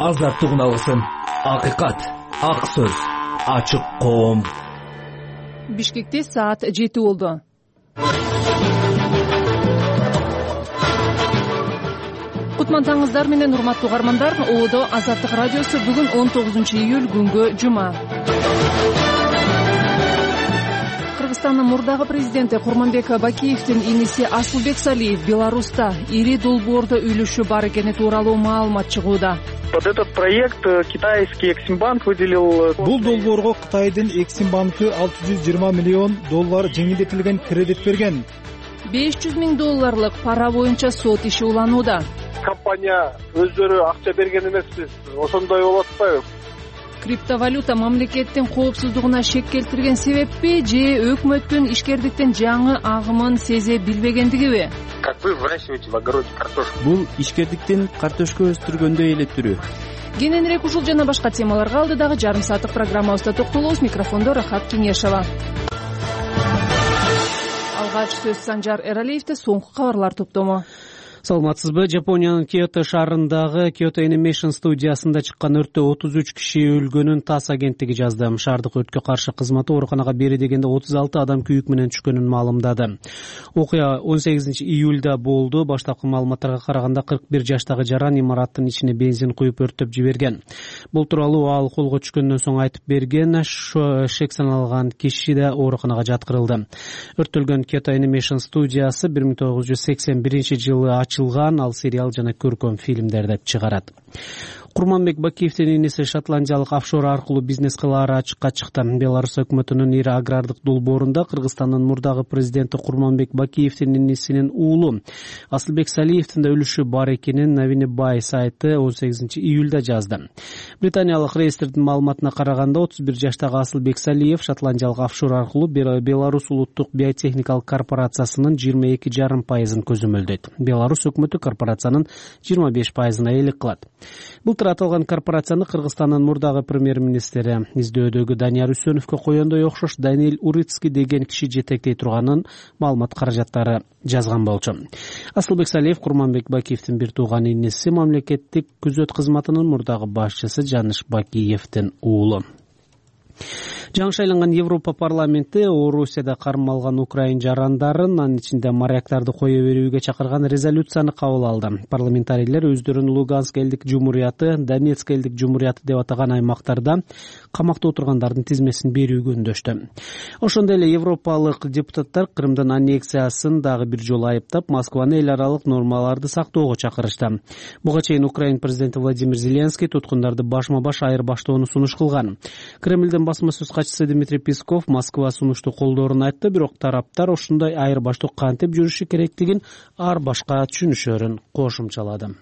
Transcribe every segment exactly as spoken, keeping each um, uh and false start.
азаттык уналсын. Акыйкат, ак сөз, ачык коом. Бишкекте саат жети болду. Кутман таңыңыздар менен урматтуу угармандар. Оодо Азаттык радиосу бүгүн он тогузунчу июль күнгө жума. Кыргызстандын мурдагы президенти Курманбек Бакиевдин иниси Асылбек Салиев Беларуста ири долбоордо үлүшү бар экени тууралуу маалымат чыгууда. Под этот проект китайский Эксимбанк выделил... Бул долбоорго Кытайдын Эксимбанкы алты жүз жыйырма миллион доллар жеңилдетилген кредит берген. беш жүз миң долларлык пара боюнча сот иши уланууда. Компания өздөрү акча берген эмеспиз, ошондой болуп атпайбы? Криптовалюта мамлекеттин коопсуздугуна шек келтирген себеппи же өкмөттүн ишкердиктин жаңы агымын сезе билбегендигиби? Как вы выращиваете в огороде картошку? Бул ишкердиктин картошка өстүргөндөй эле түрү. Кененирээк ушул жана башка темаларга алдыдагы жарым сааттык программабызда токтолобуз. Микрофондо Рахат Кеңешова. Алгач сөз Санжар Эралиевде, соңку кабарлар топтому. Саламатсызбы? Жапониянын Киото шаарындагы Kyoto Animation студиясында чыккан өрттө отуз үч киши өлгөнүн ТАСС агенттиги жазды. Шаардык өрткө каршы кызматы ооруканага бери дегенде отуз алты адам күйүк менен түшкөнүн маалымдады. Окуя он сегизинчи июлда болду. Баштапкы маалыматтарга караганда кырк бир жаштагы жаран имараттын ичине бензин куюп өрттөп жиберген. Бул тууралуу ал колго түшкөндөн соң айтып берген. Шек саналган киши да ооруканага жаткырылды. Өрттөлгөн Kyoto Animation студиясы бир миң тогуз жүз сексен биринчи жылы ачылган, ал сериал жана көркөм фильмдерди чыгарат. Курманбек Бакиевдин иниси шотландиялык офшор аркылуу бизнес кылаары ачыкка чыкты. Беларусь өкмөтүнүн ири агрардык долбоорунда Кыргызстандын мурдагы президенти Курманбек Бакиевдин инисинин уулу Асылбек Салиевдин да үлүшү бар экенин Навини Бай сайты он сегизинчи июлда жазды. Британиялык реестрдин маалыматына караганда отуз бир жаштагы Асылбек Салиев шотландиялык офшор аркылуу Беларусь улуттук биотехникалык корпорациясынын жыйырма эки жарым пайызын көзөмөлдөйт. Беларусь өкмөтү корпорациянын жыйырма беш пайызына ээлик кылат. Былтыр аталган корпорацияны Кыргызстандын мурдагы премьер-министри издөөдөгү Данияр Үсөновго коёндой окшош Даниэль Урицкий деген киши жетектей турганын маалымат каражаттары жазган болчу. Асылбек Салиев Курманбек Бакиевдин бир тууган иниси, мамлекеттик күзөт кызматынын мурдагы башчысы Жаныш Бакиевдин уулу. Жаңы шайланган Европа парламенти Орусияда кармалган украин жарандарын, анын ичинде моряктарды кое берүүгө чакырган резолюцияны кабыл алды. Парламентарийлер өздөрүн Луганск элдик жумурияты, Донецк элдик жумурияты деп атаган аймактарда камакта отургандардын тизмесин берүүгө үндөштү. Ошондой эле европалык депутаттар Крымдын аннексиясын дагы бир жолу айыптап, Москваны эл аралык нормаларды сактоого чакырышты. Буга чейин Украин президенти Владимир Зеленский туткундарды башма-баш айырбаштоону сунуш кылган. Кремлдин басма сөз катчысы Дмитрий Песков Москва сунушту колдоорун айтты, бирок тараптар ошондой айырбаштоо кантип жүрүшү керектигин ар башка түшүнүшөрүн кошумчалады.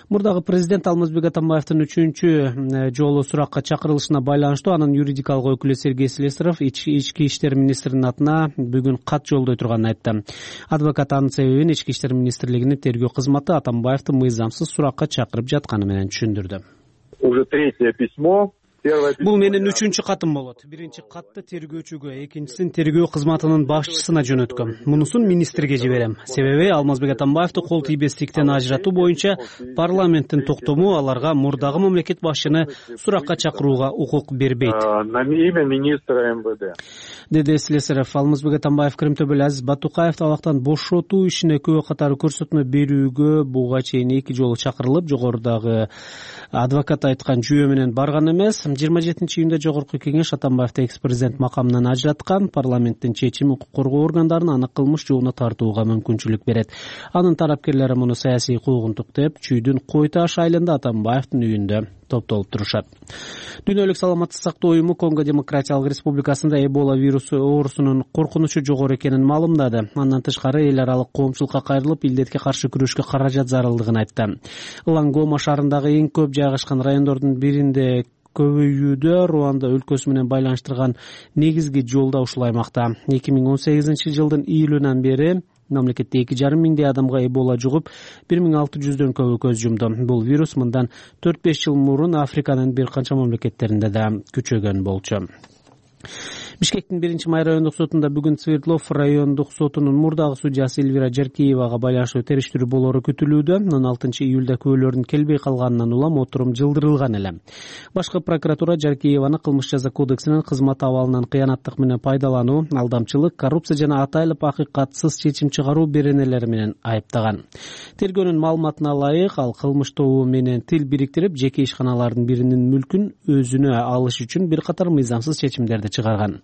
Мурдагы президент Алмазбек Атамбаевдин үчүнчү жолу суракка чакырылышына байланыштуу анын юридикалык өкүлү Сергей Слесарев ички иштер министринин атына бүгүн кат жолдой турганын айтты. Адвокат анын себебин ички иштер министрлигинин тергөө кызматы Атамбаевди мыйзамсыз суракка чакырып жатканы менен түшүндүрдү. Уже третье письмо. Бул менин үчүнчү катым болот. Биринчи катты тергөөчүгө, экинчисин тергөө кызматынын башчысына жөнөткөм. Мунусун министрге жиберем. Себеби Алмазбек Атамбаевди кол тийбестиктен ажыратуу боюнча парламенттин токтому аларга мурдагы мамлекет башчыны суракка чакырууга укук бербейт. На имя министра МВД. Деди Слесарев. Алмазбек Атамбаев Кырымтөбөл Азиз Батукаевди абактан бошотуу ишине күбө катары көрсөтмө берүүгө буга чейин эки жолу чакырылып, жогорудагы адвокат айткан жүйө менен барган эмес. жыйырма жетинчи июнда жогорку кеңеш Атамбаевди экс-президент макамынан ажыраткан. Парламенттин чечими укук коргоо органдарын аны кылмыш жолуна тартууга мүмкүнчүлүк берет. Анын тарапкерлери муну саясий куугунтук деп, чүйдүн Кой Таш айылында Атамбаевдин үйүндө топтолуп турушат. Дүйнөлүк саламаттык сактоо уюму Конго Демократиялык Республикасында Эбола вирусу оорусунун коркунучу жогору экенин маалымдады. Андан тышкары эл аралык коомчулукка кайрылып, илдетке каршы күрөшкө каражат зарылдыгын айтты. Лангома шаарындагы эң көп жайгашкан райондордун биринде көбөйүүдө Руанда өлкөсү менен байланыштырган негизги жолда ушул аймакта. эки миң он сегизинчи жылдын июлунан бери мамлекетте эки жарым миңдей адамга Эбола жугуп, бир миң алты жүздөн көбү көз жумду. Бул вирус мындан төрт беш жыл мурун Африканын бир канча мамлекеттеринде да күчөгөн болчу. Бишкектин биринчи май райондук сотунда бүгүн Свердлов райондук сотунун мурдагы судьясы Эльвира Жаркеевага байланыштуу териштирүү болоору күтүлүүдө. он алтынчы июлда күбөлөрдүн келбей калганынан улам отурум жылдырылган эле. Башкы прокуратура Жаркееваны кылмыш жаза кодексинин кызмат абалынан кыянаттык менен пайдалануу, алдамчылык, коррупция жана атайлык акыйкатсыз чечим чыгаруу беренелери менен айыптаган. Тергөөнүн маалыматына ылайык, ал кылмыш тобу менен тил бириктирип, жеке ишканалардын биринин мүлкүн өзүнө алыш үчүн бир катар мыйзамсыз чечимдерди чыгарган.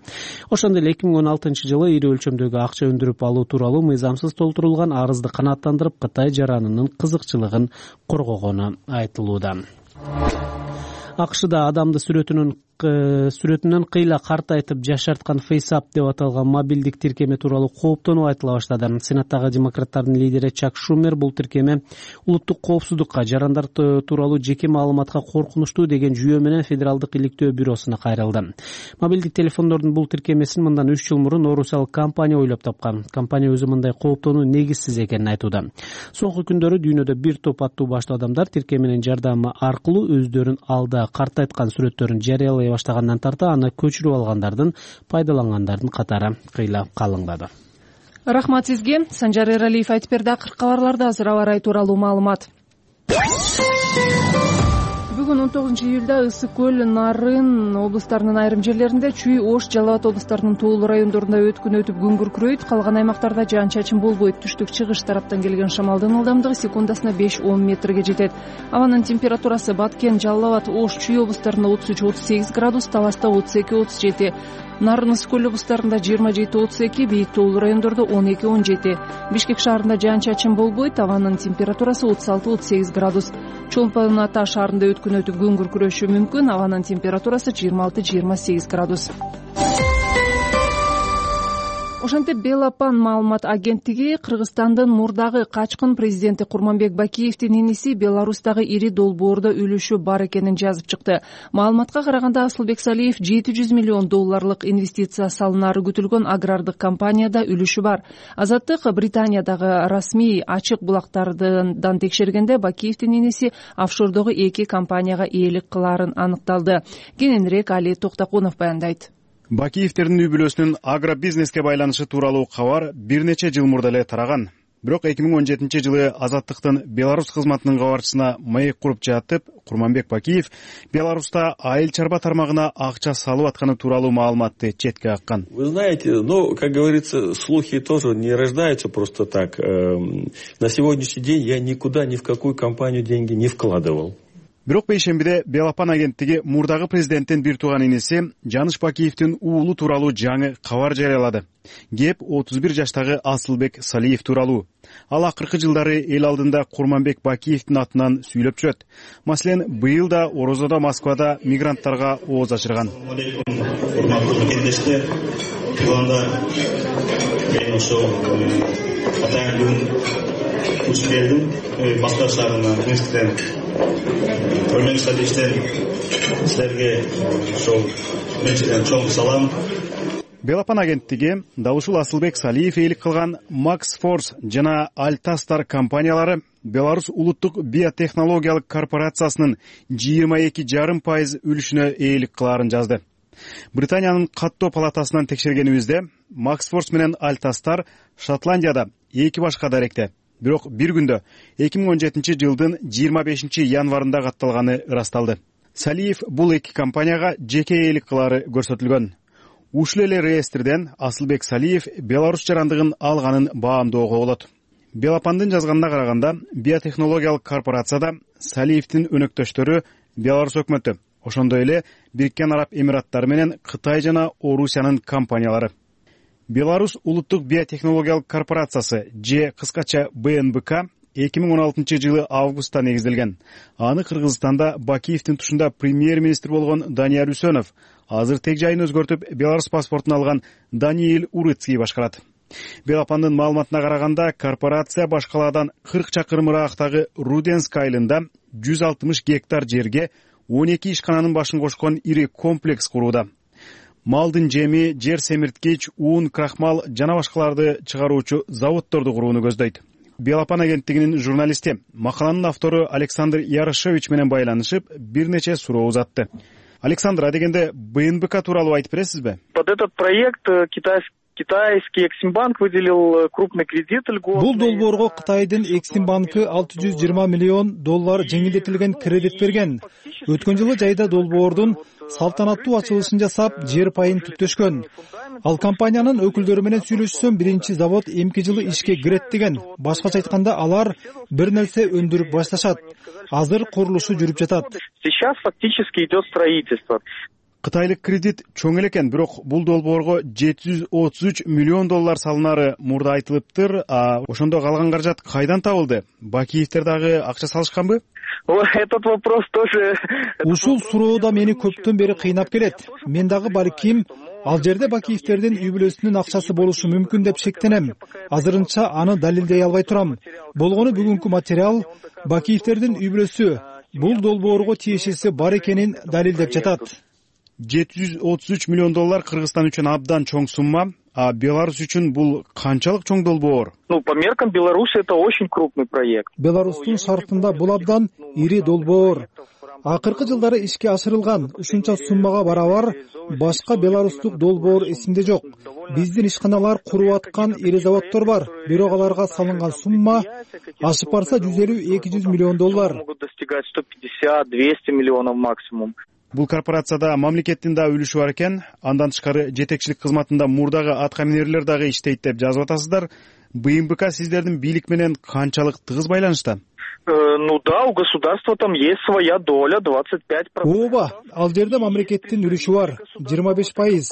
Ошондой эле эки миң он алтынчы жылы ири өлчөмдөгү акча өндүрүп алуу тууралуу мыйзамсыз толтурулган арызды канааттандырып, Кытай жаранынын кызыкчылыгын коргогону айтылууда. АКШда адамды сүрөтүнүн сүрөтүнөн кыйла картайтып жашарткан FaceApp деп аталган мобилдик тиркеме тууралуу кооптонуу айтыла баштады. Сенаттагы демократтардын лидери Чак Шумер бул тиркеме улуттук коопсуздукка, жарандар тууралуу жеке маалыматка коркунучтуу деген жүйө менен Федералдык иликтөө бюросуна кайрылды. Мобилдик телефондордун бул тиркемесин мындан үч жыл мурун орусиялык компания ойлоп тапкан. Компания өзү мындай кооптонуу негизсиз экенин айтууда. Соңку күндөрү дүйнөдө бир топ аттуу баштуу адамдар тиркеменин жардамы аркылуу өздөрүн алда картайткан сүрөттөрүн жарыялай баштагандан тарта аны көчүрүп алгандардын, пайдалангандардын катары кыйла калыңдады. Рахмат сизге. Санжар Эралиев айтып берди. Акыркы кабарларда азыр аба ырайы тууралуу маалымат. Бүгүн он тогузунчу июлда Ысык көл, Нарын облустарынын айрым жерлеринде, Чүй, Ош, Жалал Абад облустарынын тоолуу райондорунда өткүн өтүп күн күркүрөйт. Калган аймактарда жаан-чачын болбойт. Түштүк чыгыш тараптан келген шамалдын ылдамдыгы секундасына беш он метрге жетет. Абанын температурасы Баткен, Жалал Абад, Ош, Чүй облустарында отуз үч отуз сегиз градус, Таласта отуз эки отуз жети, Нарын, Ысык көл облустарында жыйырма жети отуз эки, бийик тоолуу райондордо он эки он жети. Бишкек шаарында жаан-чачын болбойт. Абанын температурасы отуз алты отуз сегиз градус. Чолпон Ата шаарында өткүн өтүп күн күркүрөшү мүмкүн. Абанын температурасы жыйырма алты жыйырма сегиз градус. Ошентип Белапан маалымат агенттиги Кыргызстандын мурдагы качкын президенти Курманбек Бакиевдин иниси Беларустагы ири долбоордо үлүшү бар экенин жазып чыкты. Маалыматка караганда Асылбек Салиев жети жүз миллион долларлык инвестиция салынары күтүлгөн агрардык компанияда үлүшү бар. Азаттык Британиядагы расмий ачык булактардан текшергенде Бакиевдин иниси офшордогу эки компанияга ээлик кылаарын аныкталды. Кененирээк Али Токтокунов баяндайт. Бакиевдердин үй бүлөсүнүн агробизнеске байланышы тууралуу кабар бир нече жыл мурда эле тараган. Бирок эки миң он жетинчи жылы Азаттыктын Беларусь кызматынын кабарчысына маек куруп жатып, Курманбек Бакиев Беларуста айыл чарба тармагына акча салып атканы тууралуу маалыматты четке каккан. Вы знаете, ну, как говорится, слухи тоже не рождаются просто так. На сегодняшний день я никуда, ни в какую компанию деньги не вкладывал. Бирок бейшембиде Белапан агенттиги мурдагы президенттин бир тууган иниси Жаныш Бакиевдин уулу тууралуу жаңы кабар жарыялады. Кеп отуз бир жаштагы Асылбек Салиев тууралуу. Ал акыркы жылдары эл алдында Курманбек Бакиевдин атынан сүйлөп жүрөт. Маселен, быйыл да Орозодо, Москвада мигранттарга ооз ачырган. Урматтуу кеңештер, планда мен ошол атайын учуп бердим. Москва шаарына Минсктен Örnek işte sizlerge şol mençeden çok salam. Белапан агенттиги дал ушул Асылбек Салиев ээлик кылган Max Force жана Altastar компаниялары Беларусь улуттук биотехнологиялык корпорациясынын жыйырма эки жарым пайыз үлүшүнө ээлик кылаарын жазды. Британиянын каттоо палатасынан текшергенибизде Max Force менен Altastar Шотландияда эки башка даректе. Бирок бир күндө эки миң он жетинчи жылдын жыйырма бешинчи январында катталганы ырасталды. Салиев бул эки компанияга жеке ээлик кылары көрсөтүлгөн. Ушул эле реестрден Асылбек Салиев Беларусь жарандыгын алганын баамдоого болот. Белапандын жазганына караганда, биотехнологиялык корпорацияда Салиевдин өнөктөштөрү Беларусь өкмөтү, ошондой эле Бириккен Араб Эмираттары менен Кытай жана Орусиянын компаниялары. Беларусь улуттук биотехнологиялык корпорациясы же кыскача Бэ Эн Бэ Ка эки миң он алтынчы жылы августта негизделген. Аны Кыргызстанда Бакиевдин тушунда премьер-министр болгон Данияр Үсөнов, азыр тег жайын өзгөртүп Беларусь паспортун алган Даниил Урыцкий башкарат. Белапандын маалыматына караганда, корпорация башкаладан кырк чакырым ыраактагы Руденск айылында жүз алтымыш гектар жерге он эки ишкананын башын кошкон ири комплекс курууда. Малдын жеми, жер семирткич, уун, крахмал жана башкаларды чыгаруучу заводдорду курууну көздөйт. Белапан агенттигинин журналисти, макаланын автору Александр Ярошевич менен байланышып, бир нече суроо узатты. Александр, адегенде бэ эн бэ ка тууралуу айтып бересизби? Под этот проект китайский Китайский Эксимбанк выделил крупный кредит льготный. Бул долбоорго Кытайдын Эксимбанкы алты жүз жыйырма миллион доллар жеңилдетилген кредит берген. Өткөн жылы жайда долбоордун салтанаттуу ачылышын жасап, жер пайын түптөшкөн. Ал компаниянын өкүлдөрү менен сүйлөшсөм, биринчи завод эмки жылы ишке кирет деген. Башкача айтканда, алар бир нерсе өндүрүп башташат. Азыр курулушу жүрүп жатат. Сейчас фактически идет строительство. Кытайлык кредит чоң эле экен, бирок бул долбоорго жети жүз отуз үч миллион доллар салынары мурда айтылыптыр. А ошондо калган каражат кайдан табылды? Бакиевдер дагы акча салышканбы? Этот вопрос тоже. Ушул суроо да мени көптөн бери кыйнап келет. Мен дагы балким ал жерде Бакиевдердин үй бүлөсүнүн акчасы болушу мүмкүн деп шектенем. Азырынча аны далилдей албай турам. Болгону бүгүнкү материал Бакиевдердин үй бүлөсү бул долбоорго тиешеси бар экенин далилдеп жатат. жети жүз отуз үч миллион доллар Кыргызстан үчүн абдан чоң сумма, а Беларусь үчүн бул канчалык чоң долбоор? Ну, по меркам Беларуси это очень крупный проект. Беларустун шартында бул абдан ири долбоор. Акыркы жылдары ишке ашырылган ушунча суммага барабар башка беларустук долбоор эсимде жок. Биздин ишканалар куруп аткан ири заводдор бар, бирок аларга салынган сумма ашып барса жүз элүү эки жүз миллион доллар. Могут достигать сто пятьдесят двести миллионов максимум. Бул корпорацияда мамлекеттин да үлүшү бар экен. Андан тышкары жетекчилик кызматында мурдагы аткаминерлер дагы иштейт деп жазып атасыздар. бэ эн бэ ка сиздердин бийлик менен канчалык тыгыз байланышта? Ну да, у государства там есть своя доля, двадцать пять процентов. Ооба, ал жерде мамлекеттин үлүшү бар, жыйырма беш пайыз.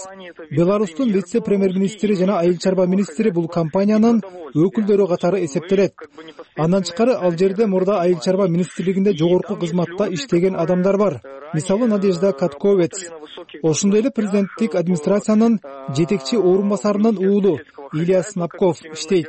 Беларустун вице-премьер-министри жана айыл чарба министри бул компаниянын өкүлдөрү катары эсептелет. Андан тышкары ал жерде мурда айыл чарба министрлигинде жогорку кызматта иштеген адамдар бар. Мисалы Надежда Катковец. Ошондой эле президенттик администрациянын жетекчи орун басарынын уулу Илья Снапков иштейт.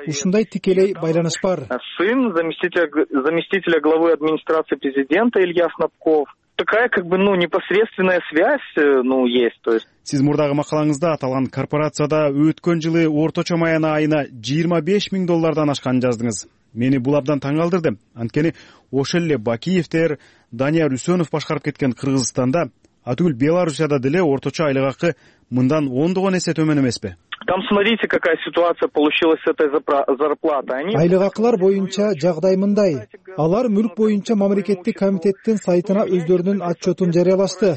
Ушундай тикелей байланыш бар. Сын заместителя, заместителя главы администрации президента Илья Снапков. Такая как бы, ну, непосредственная связь, ну, есть, то есть. Сиз мурдагы макалаңызда аталган корпорацияда өткөн жылы орточо маяна айына жыйырма беш миң доллардан ашканын жаздыңыз. Мени бул абдан таң калтырды. Анткени ошол эле Бакиевдер, Данияр Үсөнов башкарып кеткен Кыргызстанда, атүгүл Белоруссияда деле орточо айлык акы мындан ондогон эсе төмөн эмеспи? Там смотрите, какая ситуация получилась с этой зарплатой. Они... Айлык акылар боюнча жагдай мындай. Алар мүлк боюнча мамлекеттик комитеттин сайтына өздөрүнүн отчетун жарыялашты.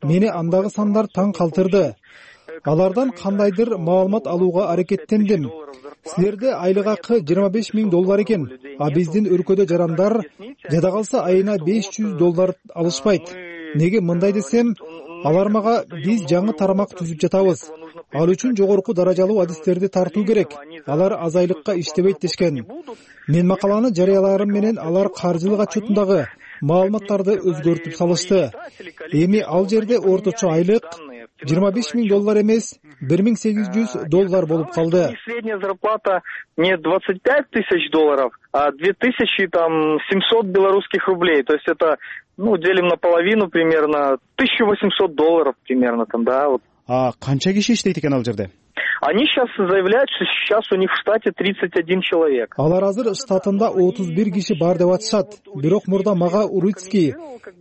Мени андагы сандар таң калтырды. Алардан кандайдыр маалымат алууга аракеттендим. Силерде айлык акы жыйырма беш миң доллар экен, а биздин өлкөдө жарандар жада калса айына беш жүз доллар алышпайт. Неге мындай десем, алар мага биз жаңы тарамак түзүп жатабыз. Ал үчүн жогорку даражалуу адистерди тартуу керек. Алар аз айлыкка иштебейт дешкен. Мен макаланы жарыяларым менен алар каржылык отчетундагы маалыматтарды өзгөртүп салышты. Эми ал жерде орточо айлык жыйырма беш миң доллар эмес, бир миң сегиз жүз доллар болуп калды. Средняя зарплата не двадцать пять тысяч долларов, а две тысячи семьсот белорусских рублей. То есть это, ну, делим на половину примерно, тысяча восемьсот долларов примерно там, да, вот. А канча киши иштейт экен ал жерде? Они сейчас заявляют, что сейчас у них в штате тридцать один человек. Алар азыр штатында отуз бир киши бар деп атышат. Бирок мурда мага Урицкий,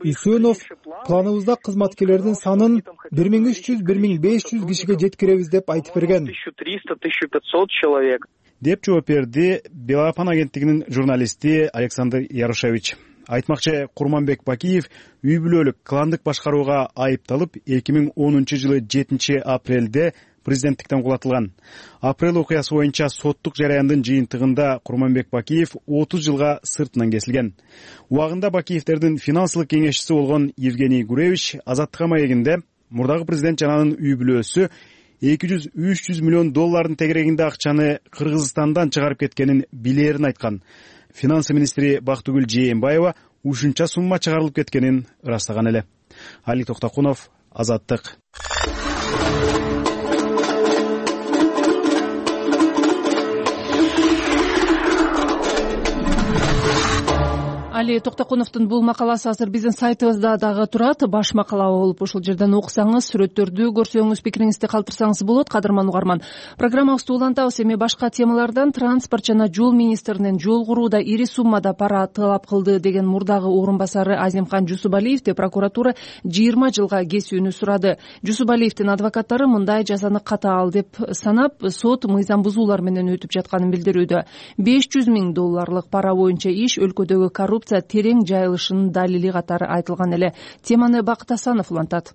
Үсөнов планыбызда кызматкерлердин санын бир миң үч жүз — бир миң беш жүз кишиге жеткиребиз деп айтып берген. тысяча триста — тысяча пятьсот человек. Деп жооп берди Белапан агенттигинин журналисти Александр Ярошевич. Айтмакчы, Курманбек Бакиев үй бүлөлүк кландык башкарууга айыпталып эки миң онунчу жылы жетинчи апрелде президенттиктен кулатылган. Апрель окуясы боюнча соттук жараяндын жыйынтыгында Курманбек Бакиев отуз жылга сыртынан кесилген. Убагында Бакиевдердин финансылык кеңешчиси болгон Евгений Гуревич Азаттыкка маегинде мурдагы президент жананын үй бүлөсү эки жүз — үч жүз миллион доллардын тегерегинде акчаны Кыргызстандан чыгарып кеткенин билерин айткан. Финансы министри Бактыгүл Жээнбаева ушунча сумма чыгарылып кеткенин ырастаган эле. Али Токтокунов, Азаттык. Али Токтокуновдун бул макаласы азыр биздин сайтыбызда дагы турат. Баш макала болуп ушул жерден окусаңыз, сүрөттөрдү көрсөңүз, пикириңизди калтырсаңыз болот. Кадырман угарман, программабызды улантабыз. Эми башка темалардан транспорт жана жол министринин жол курууда ири суммада пара талап кылды деген мурдагы орун басары Азимкан Жусупалиевди прокуратура жыйырма жылга кесүүнү сурады. Жусупалиевдин адвокаттары мындай жазаны катаал деп санап, сот мыйзам бузуулар менен өтүп жатканын билдирүүдө. беш жүз миң долларлык пара боюнча иш өлкөдөгү коррупция терең жайылышынын далили катары айтылган эле. Теманы Бакыт Асанов улантат.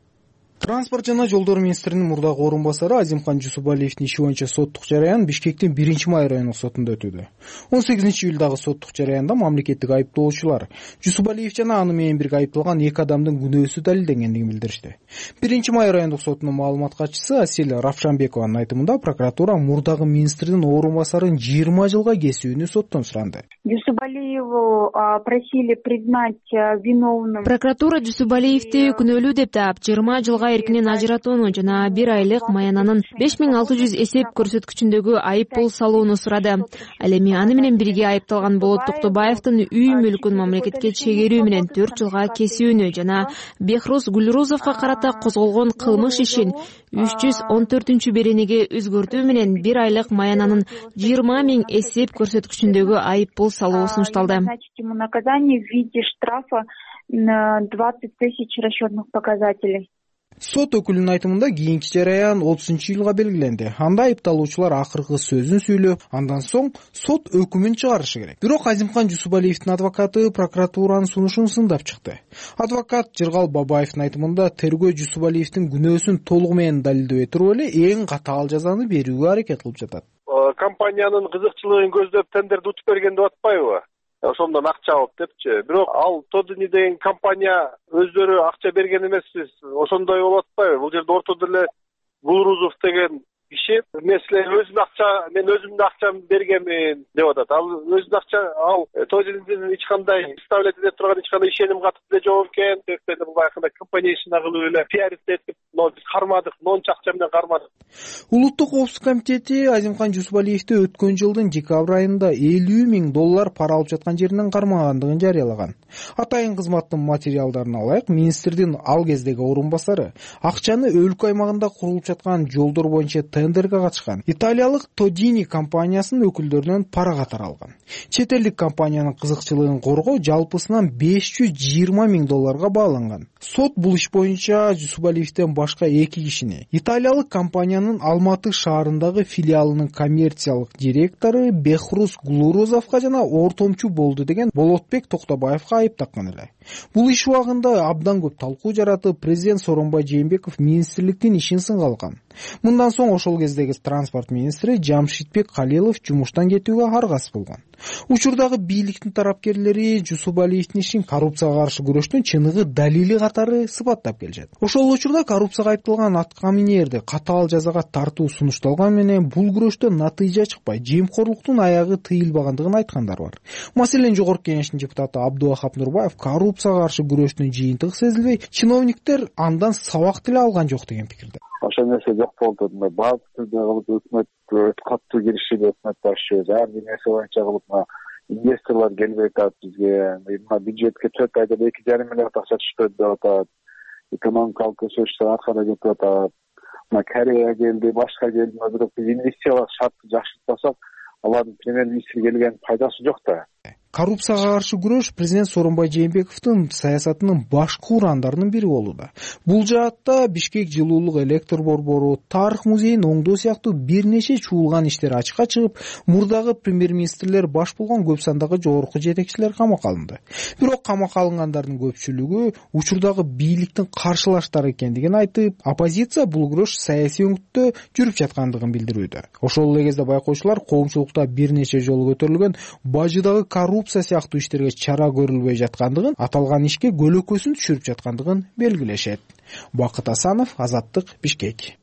Транспорт жана жолдор министринин мурдагы орун басары Азимкан Жусупалиевдин иши боюнча соттук жараян Бишкектин биринчи май райондук сотунда өтүүдө. он сегизинчи июлдагы соттук жараянда мамлекеттик айыптоочулар Жусупалиев жана аны менен бирге айыпталган эки адамдын күнөөсү далилденгендигин билдиришти. биринчи май райондук сотунун маалымат катчысы Асель Равшанбекованын айтымында прокуратура мурдагы министрдин орун басарын жыйырма жылга кесүүнү соттон суранды. Жусупалиеву просили признать виновным. Прокуратура Жусупалиевди күнөөлүү деп таап, жыйырма жылга эркинен ажыратууну жана бир айлык маянанын беш миң алты жүз эсеп көрсөткүчүндөгү айып пул салууну сурады. Ал эми аны менен бирге айыпталган Болот Токтобаевдин үй мүлкүн мамлекетке чегерүү менен төрт жылга кесүүнү жана Бехруз Гулрузовго карата козголгон кылмыш ишин үч жүз он төртүнчү беренеге өзгөртүү менен бир айлык маянанын жыйырма миң эсеп көрсөткүчүндөгү айып пул салуу сунушталды. Наказание в виде штрафа на двадцать тысяч расчетных показателей. Сот өкүлүнүн айтымында кийинки жараян отузунчу июлга белгиленди. Анда айыпталуучулар акыркы сөзүн сүйлөп, андан соң сот өкүмүн чыгарышы керек. Бирок Азимкан Жусупалиевдин адвокаты прокуратуранын сунушун сындап чыкты. Адвокат Жыргал Бабаевдин айтымында тергөө Жусупалиевдин күнөөсүн толугу менен далилдебей туруп эле эң катаал жазаны берүүгө аракет кылып жатат. Компаниянын кызыкчылыгын көздөп тендерди утуп берген деп атпайбы? Ошондон акча алып депчи. Бирок ал Тодини деген компания өздөрү акча берген эмеспиз. Ошондой болуп атпайбы? Бул жерде ортодо эле Гулрузов деген киши меселе өзүнүн акча, мен өзүмдүн акчамды бергенмин деп атат. Ал өзүнүн акча, ал Тодинин эч кандай представлять эте турган эч кандай ишеним катып деле жок экен деп бул баягы компаниясына кылып эле пиарить этип, но биз кармадык, монча акча менен кармадык. Улуттук коопсуздук комитети Азимкан Жусупалиевди өткөн жылдын декабрь айында элүү миң доллар пара алып жаткан жеринен кармагандыгын жарыялаган. Атайын кызматтын материалдарын алайык, министрдин ал кездеги орун басары акчаны өлкө аймагында курулуп жаткан жолдор боюнча тендерге катышкан италиялык Тодини компаниясынын өкүлдөрүнөн пара катары алган. Чет элдик компаниянын кызыкчылыгын коргоо жалпысынан беш жүз жыйырма миң долларга бааланган. Сот бул иш боюнча Жусупалиевден башка эки кишини италиялык компаниянын Алматы шаарындагы филиалынын коммерциялык директору Бехруз Гулрузовго жана ортомчу болду деген Болотбек Токтобаевга айып таккан эле. Бул иш убагында абдан көп талкуу жаратып, президент Сооронбай Жээнбеков министрликтин ишин сынга алган. Мындан соң ошол кездеги транспорт министри Жамшитбек Калилов жумуштан кетүүгө аргасыз болгон. Учурдагы бийликтин тарапкерлери Жусупалиевдин ишин коррупцияга каршы күрөштүн чыныгы далили катары сыпаттап келишет. Ошол учурда коррупцияга айыпталган аткаминерди катаал жазага тартуу сунушталган менен бул күрөштө натыйжа чыкпай, жемкорлуктун аягы тыйылбагандыгын айткандар бар. Маселен, Жогорку Кеңештин депутаты Абдувахап Нурбаев коррупцияга каршы күрөштүн жыйынтыгы сезилбей, чиновниктер андан сабак деле алган жок деген пикирде. Ошол нерсе жок болду. Баардык түрдө кылып өкмөт катуу киришти, өкмөт башы ар бир нерсе боюнча кылып инвесторлор келбей атат бизге. Мына бюджетке төрт айда эки жарым миллиард акча түшпөдү деп атат. Экономикалык өсүштөр аркада кетип атат. Мына Корея келди, башка келди, бирок биз инвестициялык шартты жакшыртпасак, алардын премьер-министр келген пайдасы жок да. Коррупцияга каршы күрөш президент Сооронбай Жээнбековдун саясатынын башкы урандарынын бири болууда. Бул жаатта Бишкек жылуулук электр борбору, тарых музейин оңдоо сыяктуу бир нече чуулган иштер ачыкка чыгып, мурдагы премьер-министрлер баш болгон көп сандагы жогорку жетекчилер камакка алынды. Бирок камакка алынгандардын көпчүлүгү учурдагы бийликтин каршылаштары экендигин айтып, оппозиция бул күрөш саясий өңүттө жүрүп жаткандыгын билдирүүдө. Ошол эле кезде байкоочулар коомчулукта бир нече жолу көтөрүлгөн бажыдагы коррупция сыяктуу иштерге чара көрүлбөй жаткандыгын, аталган ишке көлөкөсүн түшүрүп жаткандыгын белгилешет. Бакыт Асанов, Азаттык, Бишкек.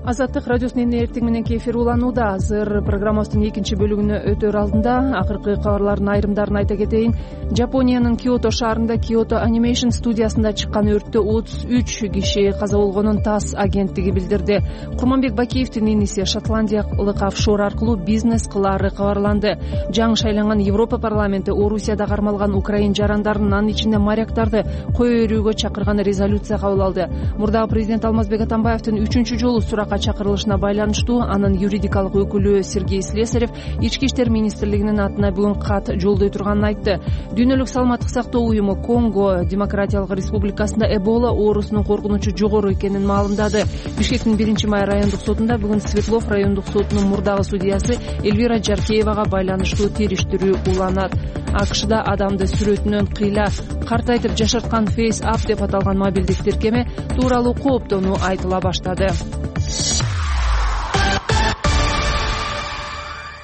Азаттык радиосунун эртең мененки эфир уланууда. Азыр программабыздын экинчи бөлүгүнө өтөр алдында акыркы кабарлардын айрымдарын айта кетейин. Жапониянын Киото шаарында Kyoto Animation студиясында чыккан өрттө отуз үч киши каза болгонун ТАСС агенттиги билдирди. Курманбек Бакиевдин иниси шотландиялык офшор аркылуу бизнес кылаары кабарланды. Жаңы шайланган Европа парламенти Орусияда кармалган украин жарандарын, анын ичинде моряктарды кое өрүүгө чакырган резолюция кабыл алды. Мурдагы президент Алмазбек Атамбаевдин үчүнчү жолу суракка чакырылышына байланыштуу анын юридикалык өкүлү Сергей Слесарев Ички иштер министрлигинин атына бүгүн кат жолдой турганын айтты. Дүйнөлүк саламаттык сактоо уюму Конго Демократиялык Республикасында Эбола оорусунун коркунучу жогору экенин маалымдады. Бишкектин биринчи май райондук сотунда бүгүн Светлов райондук сотунун мурдагы судьясы Эльвира Жаркеевага байланыштуу териштирүү уланат. АКШда адамды сүрөтүнөн кыйла картайтып жашарткан Face App деп аталган мобилдик тиркеме тууралуу кооптонуу айтыла баштады.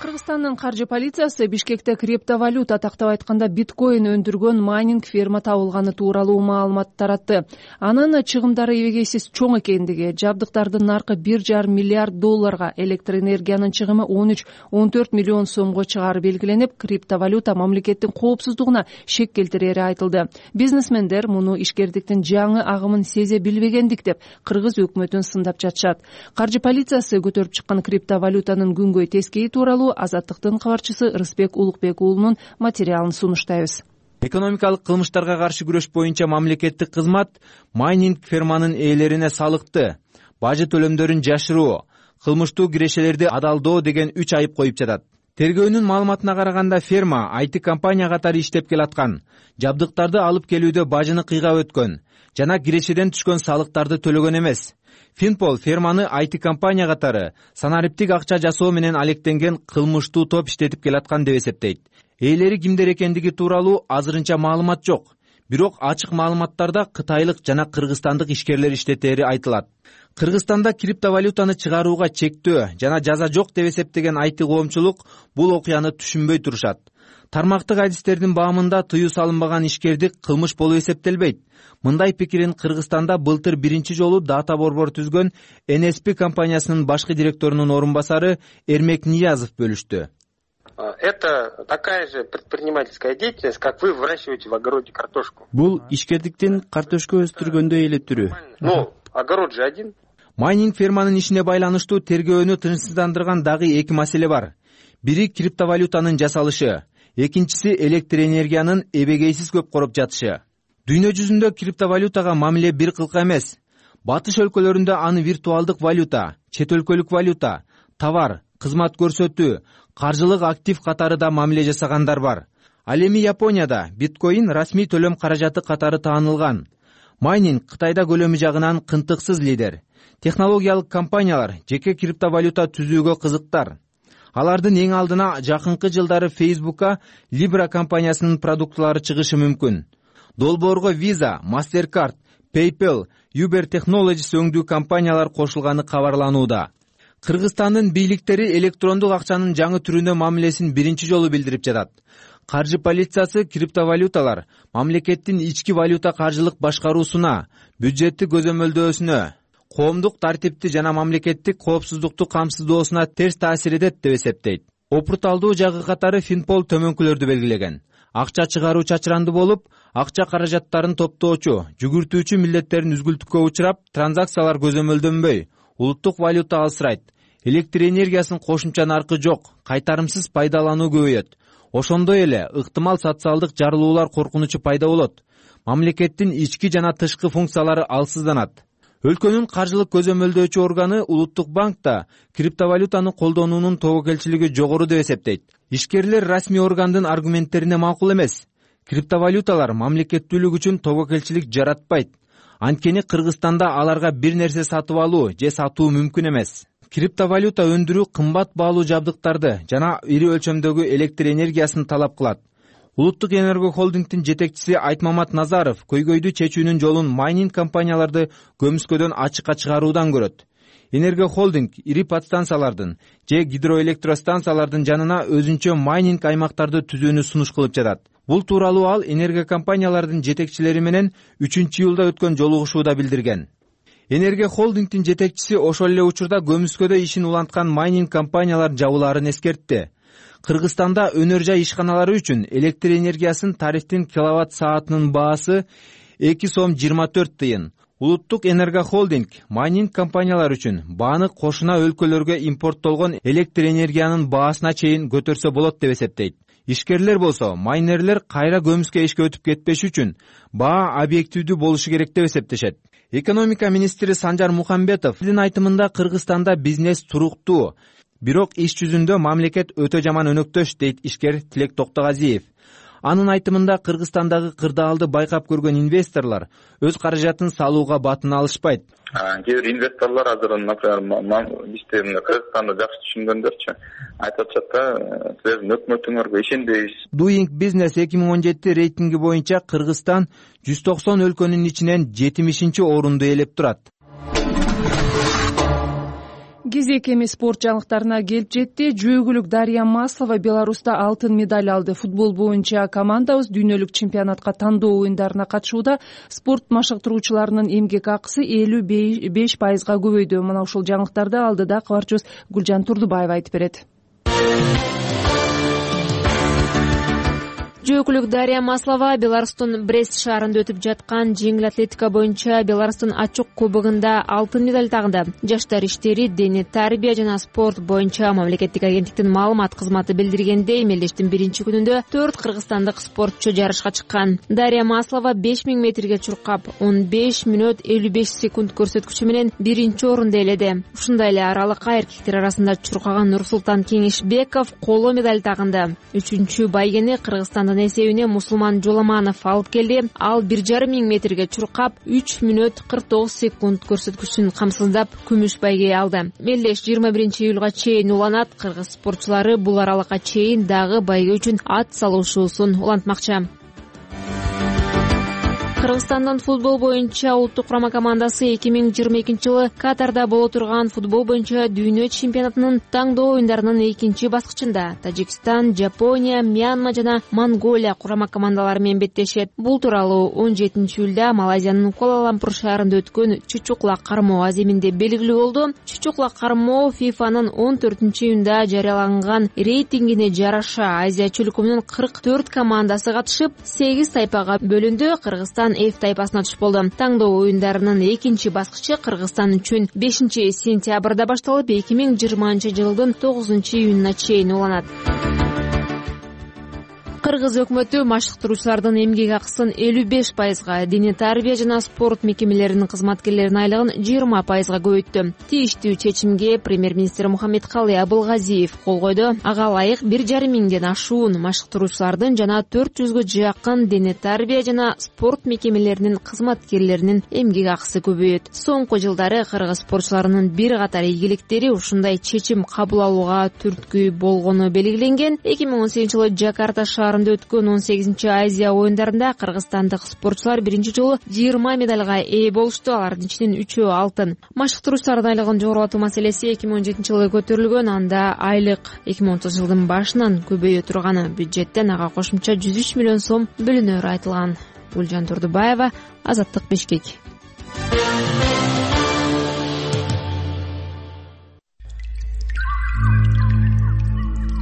Кыргызстандын каржы полициясы Бишкекте криптовалюта, тактап айтканда биткоин өндүргөн майнинг ферма табылганы тууралуу маалымат таратты. Анын чыгымдары эбегейсиз чоң экендиги, жабдыктардын наркы бир жарым миллиард долларга, электр энергиянын чыгымы он үч он төрт миллион сомго чыгары белгиленип, криптовалюта мамлекеттин коопсуздугуна шек келтирери айтылды. Бизнесмендер муну ишкердиктин жаңы агымын сезе билбегендик деп кыргыз өкмөтүн сындап жатышат. Каржы полициясы көтөрүп чыккан криптовалютанын күнгөй тескейи тууралуу Азаттыктын кабарчысы Рыспек Улукбек уулунун материалын сунуштайбыз. Экономикалык кылмыштарга каршы күрөш боюнча мамлекеттик кызмат майнинг ферманын ээлерине салыкты, бажы төлөмдөрүн жашыруу, кылмыштуу кирешелерди адалдоо деген үч айып коюп жатат. Тергөөнүн маалыматына караганда ферма ай ти компания катары иштеп келаткан, жабдыктарды алып келүүдө бажыны кыйгап өткөн жана кирешеден түшкөн салыктарды төлөгөн эмес. Финпол ферманы ай ти компания катары санариптик акча жасоо менен алектенген кылмыштуу топ иштетип келаткан деп эсептейт. Ээлери кимдер экендиги тууралуу азырынча маалымат жок. Бирок ачык маалыматтарда кытайлык жана кыргызстандык ишкерлер иштетери айтылат. Кыргызстанда криптовалютаны чыгарууга чектөө жана жаза жок деп эсептеген ай ти коомчулук бул окуяны түшүнбөй турушат. Тармактык адистердин баамында тыюу салынбаган ишкердик кылмыш болуп эсептелбейт. Мындай пикирин Кыргызстанда былтыр биринчи жолу дата борбор түзгөн эн эс пи компаниясынын башкы директорунун орун басары Эрмек Ниязов бөлүштү. Это такая же предпринимательская деятельность, как вы выращиваете в огороде картошку. Бул ишкердиктин картошка өстүргөндөй эле түрү. Ну, огород же один. Майнинг ферманын ишине байланыштуу тергөөнү тынчсыздандырган дагы эки маселе бар. Бири криптовалютанын жасалышы, экинчиси электр энергиянын эбегейсиз көп короп жатышы. Дүйнө жүзүндө криптовалютага мамиле бир кылка эмес. Батыш өлкөлөрүндө аны виртуалдык валюта, чет өлкөлүк валюта, товар, кызмат көрсөтүү, каржылык актив катары да мамиле жасагандар бар. Ал эми Японияда биткоин расмий төлөм каражаты катары таанылган. Майнинг Кытайда көлөмү жагынан кынтыксыз лидер. Технологиялык компаниялар жеке криптовалюта түзүүгө кызыктар. Алардын эң алдына жакынкы жылдары Facebook'a Libra компаниясынын продуктлары чыгышы мүмкүн. Долбоорго Visa, Mastercard, PayPal, Uber Technologies өңдүү компаниялар кошулганы кабарланууда. Кыргызстандын бийликтери электрондук акчанын жаңы түрүнө мамилесин биринчи жолу билдирип жатат. Каржы полициясы криптовалюталар мамлекеттин ички валюта каржылык башкаруусуна, бюджеттик көзөмөлдөөсүнө, коомдук тартипти жана мамлекеттик коопсуздукту камсыздоосуна терс таасир этет деп эсептейт. Опурталдуу жагы катары Финпол төмөнкүлөрдү белгилеген. Акча чыгаруу чачыранды болуп, акча каражаттарын топтоочу, жүгүртүүчү милдеттерин үзгүлтүккө учурап, транзакциялар көзөмөлдөнбөй, улуттук валюта алсырайт. Электр энергиясынын кошумча наркы жок, кайтарымсыз пайдалануу көбөйөт. Ошондой эле ыктымал социалдык жарылуулар коркунучу пайда болот. Мамлекеттин ички жана тышкы функциялары алсызданат. Өлкөнүн каржылык көзөмөлдөөчү органы Улуттук банк да криптовалютаны колдонуунун тобокелчилиги жогору деп эсептейт. Ишкерлер расмий органдын аргументтерине макул эмес. Криптовалюталар мамлекеттүүлүк үчүн тобокелчилик жаратпайт. Анткени Кыргызстанда аларга бир нерсе сатып алуу же сатуу мүмкүн эмес. Криптовалюта өндүрүү кымбат баалуу жабдыктарды жана ири өлчөмдөгү электр энергиясын талап кылат. Улуттук энерго холдингдин жетекчиси Айтмамат Назаров көйгөйдү чечүүнүн жолун майнинг компанияларды көмүскөдөн ачыкка чыгаруудан көрөт. Энерго холдинг ири подстанциялардын же гидроэлектростанциялардын жанына өзүнчө майнинг аймактарды түзүүнү сунуш кылып жатат. Бул тууралуу ал энерго компаниялардын жетекчилери менен үчүнчү июлда өткөн жолугушууда билдирген. Энергия холдингдин жетекчиси ошол эле учурда көмүскөдө ишин уланткан майнинг компаниялар жабылаарын эскертти. Кыргызстанда өнөр жай ишканалары үчүн электр энергиясын тарифтин киловатт саатынын баасы эки сом жыйырма төрт тыйын. Улуттук энергия холдинг майнинг компаниялар үчүн бааны кошуна өлкөлөргө импорттолгон электр энергиянын баасына чейин көтөрсө болот деп эсептейт. Ишкерлер болсо майнерлер кайра көмүскө ишке өтүп кетпеш үчүн баа объективдүү болушу керек деп эсептешет. Экономика министри Санжар Мухамбетовдин айтымында Кыргызстанда бизнес туруктуу, бирок иш жүзүндө мамлекет өтө жаман өнөктөш, дейт ишкер Тилек Токтогазиев. Анын айтымында Кыргызстандагы кырдаалды байкап көргөн инвесторлор өз каражатын салууга батына алышпайт. Кээ бир инвесторлор азыр, например, бизде Кыргызстанды жакшы түшүнгөндөрчү айтып атышат да, силердин өкмөтүңөргө ишенбейбиз. Doing Business эки миң он жети рейтинги боюнча Кыргызстан жүз токсон өлкөнүн ичинен жетимишинчи орунду ээлеп турат. Кезек эми спорт жаңылыктарына келип жетти. Жөөгүлүк Дарья Маслова Беларуста алтын медаль алды. Футбол боюнча командабыз дүйнөлүк чемпионатка тандоо оюндарына катышууда. Спорт машыктыруучуларынын эмгек акысы элүү беш пайызга көбөйдү. Мына ушул жаңылыктарды алдыда кабарчыбыз Гүлжан Турдубаева айтып берет. Жөөкүлүк Дарья Маслова Беларустун Брест шаарында өтүп жаткан жеңил атлетика боюнча Беларустун ачык кубогунда алтын медаль тагды. Жаштар иштери, дене тарбия жана спорт боюнча мамлекеттик агенттиктин маалымат кызматы билдиргендей, мелдештин биринчи күнүндө төрт кыргызстандык спортчу жарышка чыккан. Дарья Маслова беш миң метрге чуркап он беш мүнөт элүү беш секунд көрсөткүчү менен биринчи орунду ээледи. Ушундай эле аралыкка эркектер арасында чуркаган Нурсултан Кеңешбеков коло медаль тагынды. Үчүнчү байгени Кыргызстандын эсебине Мусулман Жоламанов алып келди. Ал бир жарым миң метрге чуркап үч мүнөт кырк тогуз секунд көрсөткүчүн камсыздап күмүш байге алды. Мелдеш жыйырма биринчи июлга чейин уланат. Кыргыз спортчулары бул аралыкка чейин дагы байге үчүн ат салышуусун улантмакчы. Кыргызстандын футбол боюнча улуттук курама командасы эки миң жыйырма экинчи жылы Катарда боло турган футбол боюнча дүйнө чемпионатынын таңдоо оюндарынын экинчи баскычында Тажикстан, Жапония, Мьянма жана Монголия курама командалары менен беттешет. Бул тууралуу он жетинчи июлда Малайзиянын Куала-Лумпур шаарында өткөн Чучукла кармоо аземинде белгилүү болду. Чучукла кармоо ФИФАнын он төртүнчү июнда жарыяланган рейтингине жараша Азия чөлкөмүнүн кырк төрт командасы катышып, сегиз тайпага бөлүндү. Кыргызстан F тайпасына түшүп болду. Таңдоо оюндарынын экинчи баскычы Кыргызстан үчүн бешинчи сентябрда башталып, эки миң жыйырманчы жылдын тогузунчу июнуна чейин уланат. Кыргыз өкмөтү машыктыруучулардын эмгек акысын элүү беш пайызга, дене тарбия жана спорт мекемелеринин кызматкерлеринин айлыгын жыйырма пайызга көбөйттү. Тийиштүү чечимге премьер-министр Мухаммедкалый Абылгазиев кол койду. Ага ылайык бир жарым миңден ашуун машыктыруучулардын жана төрт жүзгө жакын дене тарбия жана спорт мекемелеринин кызматкерлеринин эмгек акысы көбөйөт. Соңку жылдары кыргыз спортчуларынын бир катар ийгиликтери ушундай чечим кабыл алууга түрткү болгону белгиленген. эки миң он сегизинчи жылы Жакарта шаарында өткөн он сегизинчи Азия оюндарында кыргызстандык спортчулар биринчи жолу жыйырма медальга ээ болушту. Алардын ичинен үчөө алтын. Машыктыруучулардын айлыгын жогорулатуу маселеси эки миң он жетинчи жылы көтөрүлгөн. Анда айлык эки миң он тогузунчу жылдын башынан көбөйө турганы, бюджеттен ага кошумча жүз үч миллион сом бөлүнөрү айтылган. Гүлжан Турдубаева, Азаттык, Бишкек.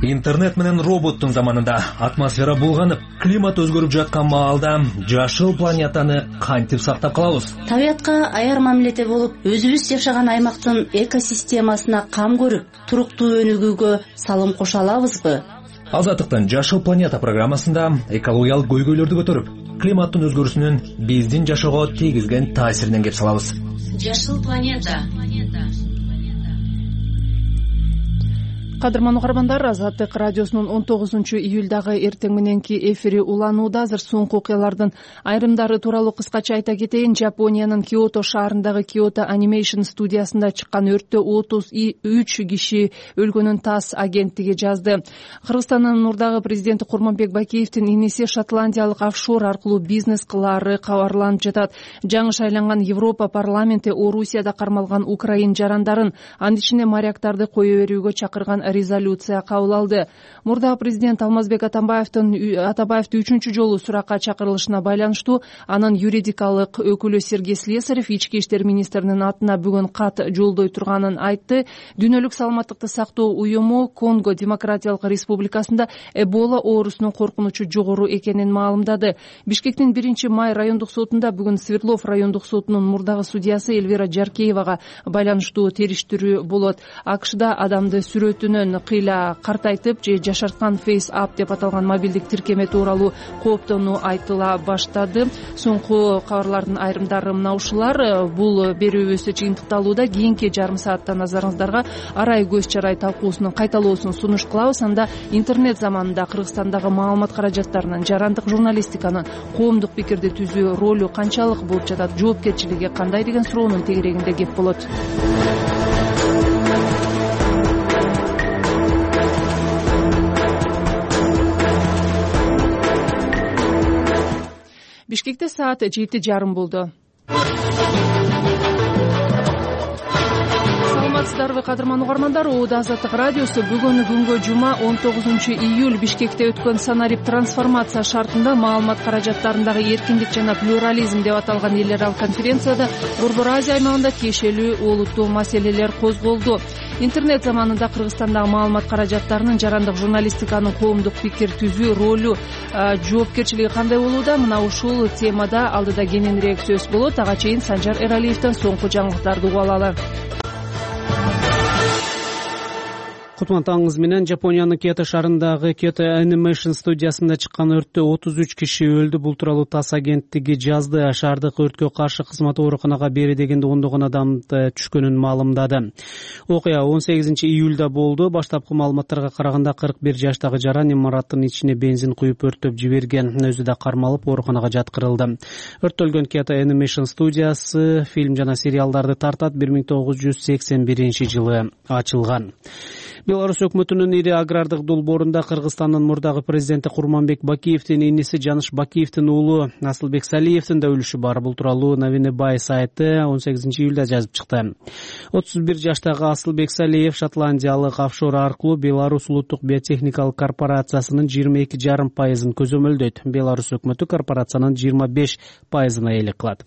Интернет менен роботтун заманында атмосфера булганып, климат өзгөрүп жаткан маалда жашыл планетаны кантип сактап калабыз? Табиятка аяр мамиледе болуп, өзүбүз жашаган аймактын экосистемасына кам көрүп, туруктуу өнүгүүгө салым кошо алабызбы? Азаттыктын Жашыл планета программасында экологиялык көйгөйлөрдү көтөрүп, климаттын өзгөрүүсүнүн биздин жашоого тийгизген таасиринен кеп салабыз. Жашыл планета. Кадырман угармандар, Азаттык радиосунун он тогузунчу июлдагы эртең мененки эфири уланууда. Азыр соңку окуялардын айрымдары тууралуу кыскача айта кетейин. Жапониянын Киото шаарындагы Kyoto Animation студиясында чыккан өрттө отуз үч киши өлгөнүн ТАСС агенттиги жазды. Кыргызстандын Нурдагы президенти Курманбек Бакиевдин иниси шотландиялык офшор аркылуу бизнес кылаары кабарланып жатат. Жаңы шайланган Европа парламенти Орусияда кармалган украин жарандарын, анын ичинде моряктарды кое берүүгө чакырган резолюция кабыл алды. Мурдагы президент Алмазбек Атамбаевдин Атамбаевди үчүнчү жолу суракка чакырылышына байланыштуу анын юридикалык өкүлү Сергей Слесарев ички иштер министринин атына бүгүн кат жолдой турганын айтты. Дүйнөлүк саламаттыкты сактоо уюму Конго Демократиялык Республикасында Эбола оорусунун коркунучу жогору экенин маалымдады. Бишкектин биринчи май райондук сотунда бүгүн Свердлов райондук сотунун мурдагы судьясы Эльвира Жаркеевага байланыштуу териштирүү болот. АКШда адамды сүрөтүнөн кыйла картайтып же жашарткан Face App деп аталган мобилдик тиркеме тууралуу кооптонуу айтыла баштады. Соңку кабарлардын айрымдары мына ушулар. Бул берүүбүз жыйынтыкталууда. Кийинки жарым саатта назарыңыздарга арай көз чарай талкуусунун кайталоосун сунуш кылабыз. Анда интернет заманында Кыргызстандагы маалымат каражаттарынын, жарандык журналистиканын коомдук пикирди түзүү ролу канчалык болуп жатат, жоопкерчилиги кандай деген суроонун тегерегинде кеп болот. Бишкекте саат жети жарым болду. Саламатсыздарбы, кадырман угармандар? Оода Азаттык радиосу бүгүн күнгө жума он тогузунчу июль Бишкекте өткөн санарип трансформация шартында маалымат каражаттарындагы эркиндик жана плюрализм деп аталган эл аралык конференцияда Борбор Азия аймагында тиешелүү олуттуу маселелер козголду. Интернет заманында Кыргызстандагы маалымат каражаттарынын, жарандык журналистиканын коомдук пикир түзүү ролу, жоопкерчилиги кандай болууда? Мына ушул темада алдыда кененирээк сөз болот. Ага чейин Санжар Эралиевден соңку жаңылыктарды угуп алалы. Кутман таңыңыз менен. Жапониянын Киото шаарындагы Kyoto Animation студиясында чыккан өрттө отуз үч киши өлдү. Бул тууралуу ТАСС агенттиги жазды. Шаардык өрткө каршы кызматы ооруканага бери дегенде ондогон адамды түшкөнүн маалымдады. Окуя он сегизинчи июлда болду. Баштапкы маалыматтарга караганда кырк бир жаштагы жаран имараттын ичине бензин куюп өрттөп жиберген. Өзү да кармалып ооруканага жаткырылды. Өрттөлгөн Kyoto Animation студиясы фильм жана сериалдарды тартат. бир миң тогуз жүз сексен биринчи жылы ачылган. Беларусь өкмөтүнүн ири агрардык долбоорунда Кыргызстандын мурдагы президенти Курманбек Бакиевдин иниси Жаныш Бакиевдин уулу Асылбек Салиевдин да үлүшү бар. Бул тууралуу Новини Бай сайты он сегизинчи июлда жазып чыкты. отуз бир жаштагы Асылбек Салиев шотландиялык офшор аркылуу Беларусь улуттук биотехникалык корпорациясынын жыйырма эки жарым пайызын көзөмөлдөйт. Беларусь өкмөтү корпорациянын жыйырма беш пайызына ээлик кылат.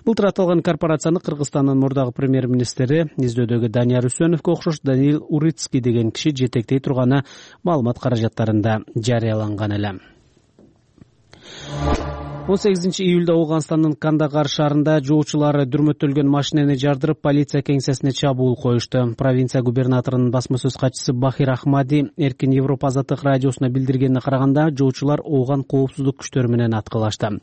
Былтыр аталган корпорацияны Кыргызстандын мурдагы премьер-министри издөөдөгү Данияр Үсөновго окшош Даниил Урицкий деген киши жетектей турганы маалымат каражаттарында жарыяланган эле. он сегизинчи июлда Ооганстандын Кандагар шаарында жоочулар дүрмөттөлгөн машинени жардырып, полиция кеңсесине чабуул коюшту. Провинция губернаторунун басма сөз катчысы Бахир Ахмади Эркин Европа Азаттык радиосуна билдиргенине караганда, жоочулар Ооган коопсуздук күчтөрү менен аткылашты.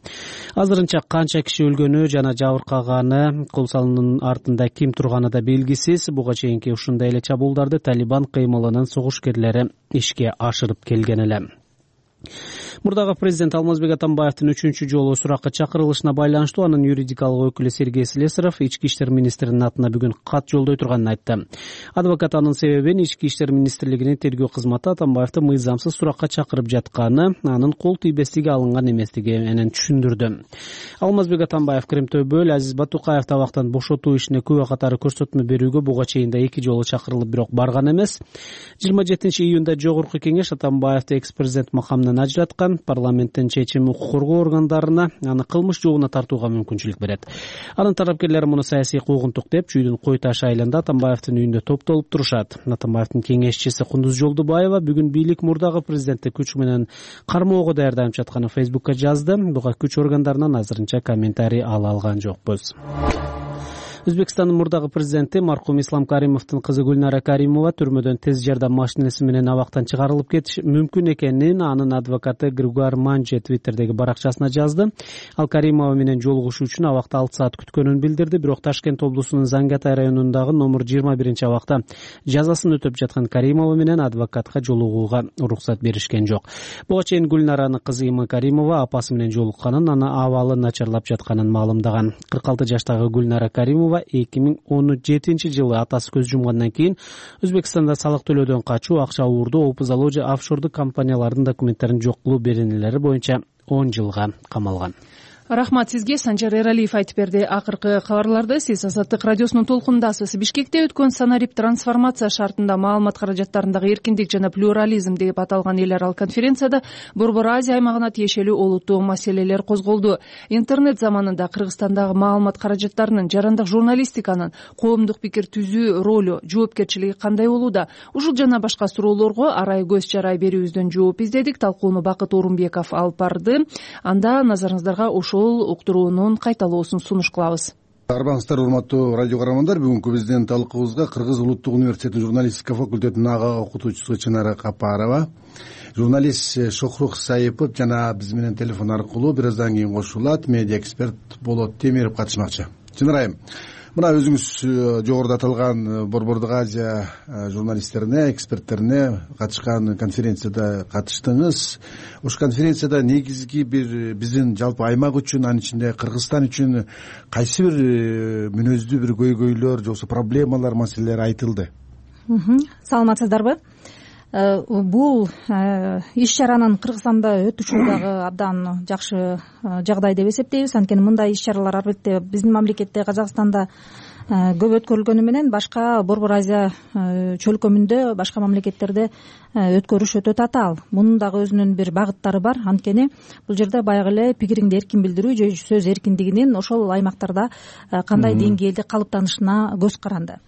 Азырынча канча киши өлгөнү жана жабыркаганы, кол салуунун артында ким турганы да белгисиз. Буга чейинки ушундай эле чабуулдарды Талибан кыймылынын согушкерлери ишке ашырып келген эле. Мурдагы президент Алмазбек Атамбаевдин үчүнчү жолу суракка чакырылышына байланыштуу анын юридикалык өкүлү Сергей Слесарев ички иштер министринин атына бүгүн кат жолдой турганын айтты. Адвокат анын себебин ички иштер министрлигинин тергөө кызматы Атамбаевди мыйзамсыз суракка чакырып жатканы, анын кол тийбестиги алынган эместиги менен түшүндүрдү. Алмазбек Атамбаев Кремтөбөл Азиз Батукаев табактан бошотуу ишине күбө катары көрсөтмө берүүгө буга чейин да эки жолу чакырылып, бирок барган эмес. жыйырма жетинчи июнда жогорку кеңеш Атамбаевди экс-президент макамынан ажыраткан. Парламенттин чечими укук коргоо органдарына аны кылмыш жообуна тартууга мүмкүнчүлүк берет. Анын тарапкерлери муну саясий куугунтук деп чүйдүн Кой Таш айылында Атамбаевдин үйүндө топтолуп турушат. Атамбаевдин кеңешчиси Кундуз Жолдубаева бүгүн бийлик мурдагы президентти күч менен кармоого даярданып жатканын Фейсбукка жазды. Буга күч органдарынан азырынча комментарий ала алган жокпуз. Өзбекстандын мурдагы президенти маркум Ислам Каримовдун кызы Гүлнара Каримова түрмөдөн тез жардам машинеси менен абактан чыгарылып кетиш мүмкүн экенин анын адвокаты Григуар Манже Твиттердеги баракчасына жазды. Ал Каримова менен жолугушуу үчүн абакта алты саат күткөнүн билдирди, бирок Ташкент облусунун Зангатай районундагы номер жыйырма биринчи абакта жазасын өтөп жаткан Каримова менен адвокатка жолугууга уруксат беришкен жок. Буга чейин Гүлнаранын кызы Има Каримова апасы менен жолукканын, анын абалы начарлап жатканын маалымдаган. кырк алты жаштагы Гүлнара Каримова эки миң он жетинчи жылы атасы көз жумгандан кийин Өзбекстанда салык төлөөдөн качуу, акча уурдоо, опузалоо же офшордук компаниялардын документтерин жок кылуу беренелери боюнча он жылга камалган. Рахмат сизге. Санжар Эралиев айтып берди. Акыркы кабарларды сиз Азаттык радиосунун толкундасыз. Бишкекте өткөн Санарип трансформация шартында маалымат каражаттарындагы эркиндик жана плюрализм деп аталган эл аралык конференцияда Борбор Азия аймагына тиешелүү олуттуу маселелер козголду. Интернет заманында Кыргызстандагы маалымат каражаттарынын, жарандык журналистиканын, коомдук пикир түзүү ролу, жоопкерчилиги кандай болууда? Ушул жана башка суроолорго арай көз чарай берүүбүздөн жооп издедик. Талкууну Бакыт Орунбеков алып барды. Анда назарыңыздарга ошол уктуруунун кайталоосун сунуш кылабыз. Арбаңыздар, урматтуу радио каармандар. Бүгүнкү биздин талкуубузга Кыргыз улуттук университетинин журналистика факультетинин ага окутуучусу Чынара Капарова, журналист Шохрух Саипов жана биз менен телефон аркылуу бир аздан кийин кошулат медиа эксперт Болот Темиров катышмакчы. Чынара айым, мына өзүңүз жогоруда аталган Борбордук Азия журналисттерине, эксперттерине катышкан конференцияда катыштыңыз. Ошол конференцияда негизги бир биздин жалпы аймак үчүн, анын ичинде Кыргызстан үчүн кайсы бир мүнөздүү бир көйгөйлөр же болбосо проблемалар, маселелер айтылды? Саламатсыздарбы? Бул иш чаранын Кыргызстанда өтүшү дагы абдан жакшы жагдай деп эсептейбиз. Анткени мындай иш чаралар албетте биздин мамлекетте, Казакстанда көп өткөрүлгөнү менен башка Борбор Азия чөлкөмүндө, башка мамлекеттерде өткөрүш өтө татаал. Мунун дагы өзүнүн бир багыттары бар. Анткени бул жерде баягы эле пикириңди эркин билдирүү же сөз эркиндигинин ошол аймактарда кандай деңгээлде калыптанышына көз каранды.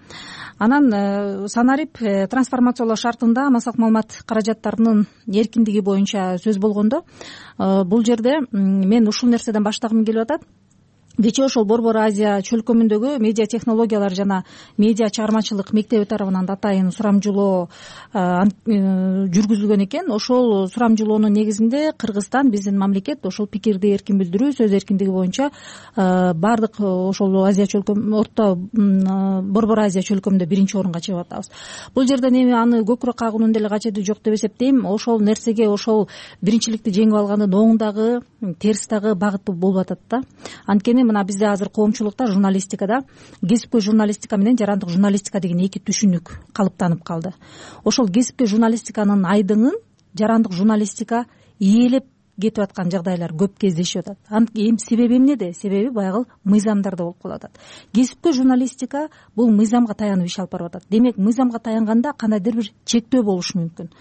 Анан Санарип трансформациялоо шартында массалык маалымат каражаттарынын эркиндиги боюнча сөз болгондо, бул жерде мен ушул нерседен баштагым келип атат. Кечээ ошол Борбор Азия чөлкөмүндөгү медиа технологиялар жана медиа чыгармачылык мектеби тарабынан атайын сурамжылоо жүргүзүлгөн экен. Ошол сурамжылоонун негизинде Кыргызстан, биздин мамлекет ошол пикирди эркин билдирүү, сөз эркиндиги боюнча баардык ошол Азия чөлкөм, орто Борбор Азия чөлкөмүндө биринчи орунга чыгып атабыз. Бул жерден эми аны көкүрөк кагуунун деле кажети жок деп эсептейм. Ошол нерсеге, ошол биринчиликти жеңип алгандын оң дагы, терс дагы багыты болуп атат да. Анткени мына бизде азыр коомчулукта, журналистикада кесипкөй журналистика менен жарандык журналистика деген эки түшүнүк калыптанып калды. Ошол кесипкөй журналистиканын айдыңын жарандык журналистика ээлеп кетип аткан жагдайлар көп кездешип атат. Эми себеби эмнеде? Себеби баягы мыйзамдарда болуп калып атат. Кесипкөй журналистика бул мыйзамга таянып иш алып барып атат. Демек, мыйзамга таянганда кандайдыр бир чектөө болушу мүмкүн.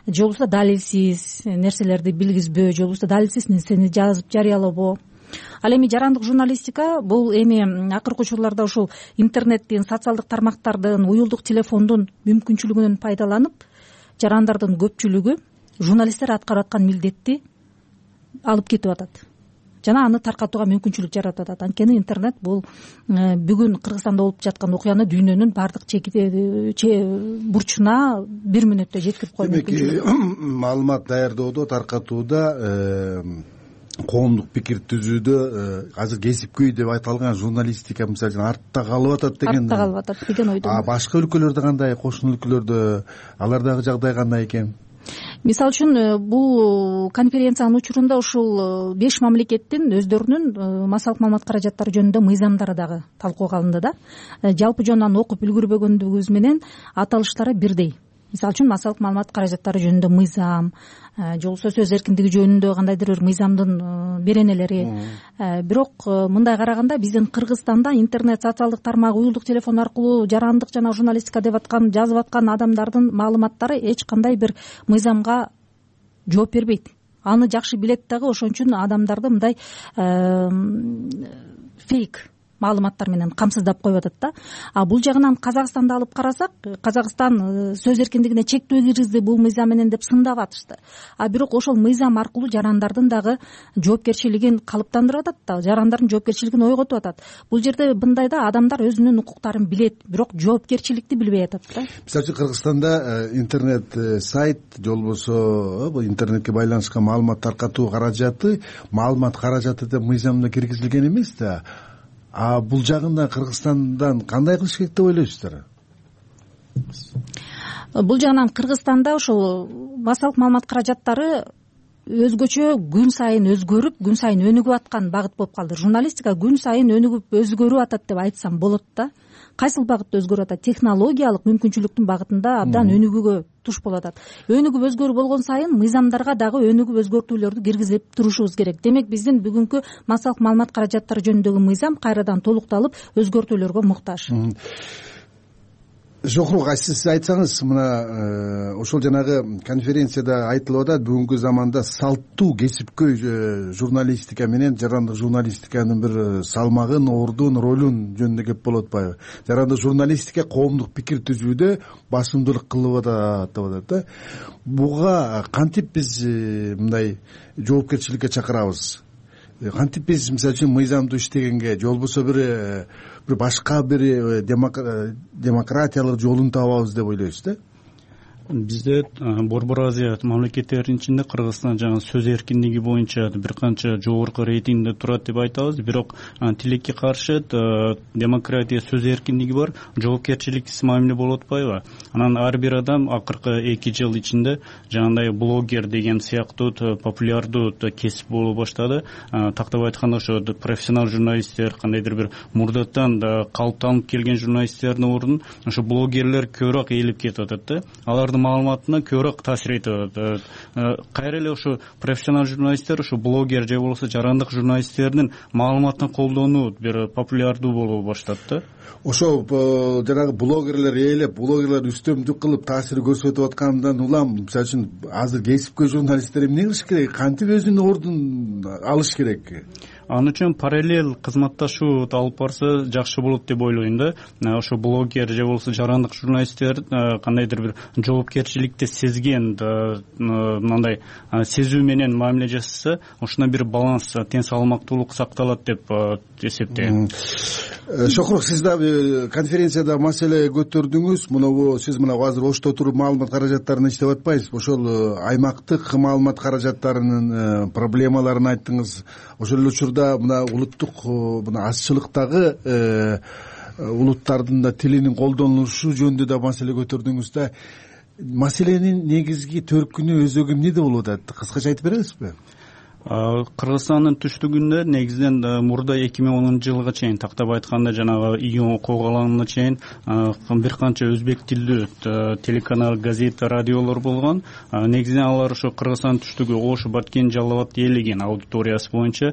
Же болбосо далилсиз нерселерди билгизбөө, же болбосо далилсиз нерсени жазып жарыялабоо. Ал эми жарандык журналистика бул эми акыркы учурларда ушул интернеттин, социалдык тармактардын, уюлдук телефондун мүмкүнчүлүгүнөн пайдаланып, жарандардын көпчүлүгү журналисттер аткарып аткан милдетти алып кетип атат жана аны таркатууга мүмкүнчүлүк жаратып атат. Анткени интернет бул бүгүн Кыргызстанда болуп жаткан окуяны дүйнөнүн баардык бурчуна бир мүнөттө жеткирип коюу мүмкүнчүлүгү. Демек, маалымат даярдоодо, таркатууда, коомдук пикир түзүүдө азыр кесипкөй деп айтылган журналистика мисалы үчүн артта калып атат деген артта калып атат деген ойдомун. А башка өлкөлөрдө кандай, кошуна өлкөлөрдө алардагы жагдай кандай экен? Мисалы үчүн бул конференциянын учурунда ушул беш мамлекеттин өздөрүнүн массалык маалымат каражаттары жөнүндө мыйзамдары дагы талкууга алынды да. Жалпы жонунан окуп үлгүрбөгөндүгүбүз менен аталыштары бирдей. Мисалы үчүн массалык маалымат каражаттары жөнүндө мыйзам, же болбосо сөз эркиндиги жөнүндө кандайдыр бир мыйзамдын беренелери. Бирок мындай караганда биздин Кыргызстанда интернет, социалдык тармак, уюлдук телефон аркылуу жарандык жана журналистика деп аткан, жазып аткан адамдардын маалыматтары эч кандай бир мыйзамга жооп бербейт. Аны жакшы билет дагы, ошон үчүн адамдарды мындай фейк маалыматтар менен камсыздап коюп атат да. А бул жагынан Казакстанды алып карасак, Казакстан сөз эркиндигине чектөө киргизди бул мыйзам менен деп сындап атышты. А бирок ошол мыйзам аркылуу жарандардын дагы жоопкерчилигин калыптандырып атат да, жарандардын жоопкерчилигин ойготуп атат. Бул жерде мындайда адамдар өзүнүн укуктарын билет, бирок жоопкерчиликти билбей атат да. Мисалы үчүн Кыргызстанда интернет сайт же болбосо бул интернетке байланышкан маалымат таркатуу каражаты, маалымат каражаты деп мыйзамда киргизилген эмес да. А бул жагында Кыргызстандан кандай кылыш керек деп ойлойсуздар? Бул жагынан Кыргызстанда ошол массалык маалымат каражаттары өзгөчө күн сайын өзгөрүп, күн сайын өнүгүп аткан багыт болуп калды. Журналистика күн сайын өнүгүп, өзгөрүп атат деп айтсам болот да. кайсыл багытта өзгөрүп атат? Технологиялык мүмкүнчүлүктүн багытында абдан өнүгүүгө туш болуп атат. Өнүгүп өзгөрүү болгон сайын мыйзамдарга дагы өнүгүп өзгөртүүлөрдү киргизип турушубуз керек. Демек биздин бүгүнкү массалык маалымат каражаттары жөнүндөгү мыйзам кайрадан толукталып өзгөртүүлөргө муктаж. Шохрук, сиз айтсаңыз, мына ошол жанагы конференцияда айтылып атат, бүгүнкү заманда салттуу кесипкөй журналистика менен жарандык журналистиканын бир салмагын, ордун, ролун жөнүндө кеп болуп атпайбы? Жарандык журналистика коомдук пикир түзүүдө басымдуулук кылып атат деп атат да. Буга кантип биз мындай жоопкерчиликке чакырабыз? Кантип биз мисалы үчүн мыйзамдуу иштегенге, же болбосо бир бир башка бир демократиялык жолун табабыз деп ойлойсуз да? Бизде Борбор Азия мамлекеттеринин ичинде Кыргызстан жаңы сөз эркиндиги боюнча бир канча жогорку рейтингде турат деп айтабыз. Бирок тилекке каршы демократия, сөз эркиндиги бар, жоопкерчиликсиз мамиле болуп атпайбы? Анан ар бир адам акыркы эки жыл ичинде жаңандай блогер деген сыяктуу популярдуу кесип боло баштады. Тактап айтканда ошо профессионал журналисттер, кандайдыр бир мурдатан калыптанып келген журналисттердин ордун ошо блогерлер көбүрөөк ээлеп кетип атат да. Алардын маалыматына көбүрөөк таасир этип атат. Кайра эле ошо профессионал журналисттер, ошо блогер же болбосо жарандык журналисттердин маалыматын колдонуу бир популярдуу боло баштады да. Ошо жанагы блогерлер ээлеп, блогерлер үстөмдүк кылып таасир көрсөтүп аткандан улам, мисалы үчүн азыр кесипкөй журналисттер эмне кылыш керек? Кантип өзүнүн ордун алыш керек? Ал үчүн параллель кызматташуу алып барса жакшы болот деп ойлойм да. Ошо блогер же болбосо жарандык журналисттер кандайдыр бир жоопкерчиликти сезген, мындай сезүү менен мамиле жасаса, ошондой бир баланс, тең салмактуулук сакталат деп эсептейм. Шохрук, сиз дагы конференцияда маселе көтөрдүңүз. Мына сиз мына азыр Ошто туруп маалымат каражаттарына иштеп атпайсызбы? Ошол аймактык маалымат каражаттарынын проблемаларын айттыңыз. Ошол эле учурда мына улуттук мына азчылыктагы улуттардын да тилинин колдонулушу жөнүндө да маселе көтөрдүңүз да. Маселенин негизги төркүнү, өзөгү эмнеде болуп атат? Кыскача айтып бересизби? Кыргызстандын түштүгүндө негизинен мурда эки миң онунчу жылга чейин, тактап айтканда жанагы июнь окуу алаңына чейин бир канча өзбек тилдүү телеканал, газет, радиолор болгон. Негизинен алар ошо Кыргызстан түштүгү, Ош, Баткен, Жалал абад ээлеген аудиториясы боюнча.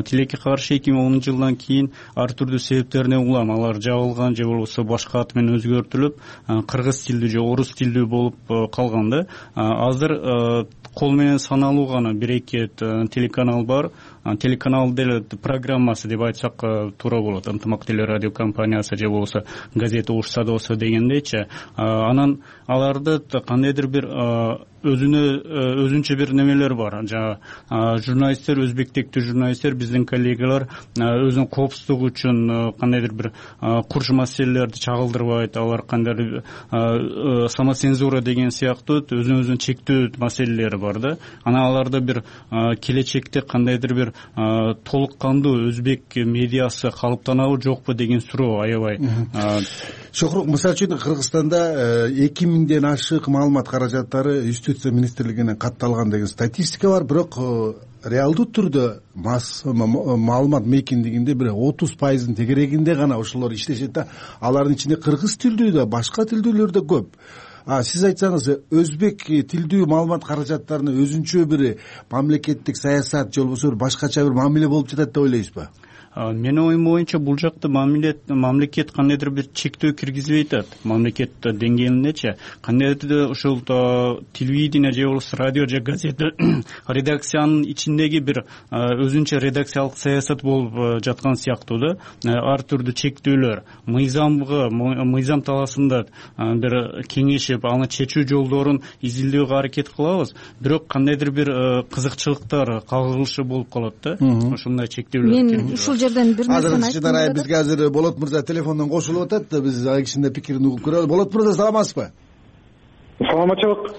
Тилекке каршы эки миң онунчу жылдан кийин ар түрдүү себептерине улам алар жабылган же болбосо башка ат менен өзгөртүлүп, кыргыз тилдүү же орус тилдүү болуп калган да. Азыр кол менен саналуу гана бир эки телеканал бар. Телеканал деле программасы деп айтсак туура болот. Ынтымак телерадио компаниясы же болбосо газета Ош садосу дегендейчи. Анан аларда кандайдыр бир өзүнө өзүнчө бир немелер бар. Жана журналисттер, өзбектектүү журналисттер, биздин коллегалар өзүнүн коопсуздугу үчүн кандайдыр бир курч маселелерди чагылдырбайт. Алар кандайдыр самоцензура деген сыяктуу өзүн өзүн чектөө маселелери бар да. Анан аларда бир келечекте кандайдыр бир толук кандуу өзбек медиасы калыптанабы жокпу деген суроо аябай. Шохрук, мисалы үчүн Кыргызстанда эки миңден ашык маалымат каражаттары Юстиция министрлигинен катталган деген статистика бар, бирок реалдуу түрдө маалымат мейкиндигинде бир отуз пайыздын тегерегинде гана ошолор иштешет да. Алардын ичинде кыргыз тилдүү да, башка тилдүүлөр да көп. А сиз айтсаңыз, өзбек тилдүү маалымат каражаттарына өзүнчө бир мамлекеттик саясат же болбосо башкача бир мамиле болуп жатат деп ойлойсузбу? Менин оюм боюнча бул жакта мамлекет кандайдыр бир чектөө киргизбей атат. Мамлекет деңгээлиндечи кандайдыр ушул телевидение же болбосо радио же газета редакциянын ичиндеги бир өзүнчө редакциялык саясат болуп жаткан сыяктуу да. Ар түрдүү чектөөлөр, мыйзамга, мыйзам талаасында бир кеңешип, аны чечүү жолдорун изилдөөгө аракет кылабыз. Бирок кандайдыр бир кызыкчылыктар кагылышы болуп калат да. Ошондой чектөөлөр. Азыр бизге азыр Болот мырза телефондон кошулуп атат. Биз ал кишинин пикирин угуп көрөлү. Болот мырза, саламатсызбы? Саламатчылык.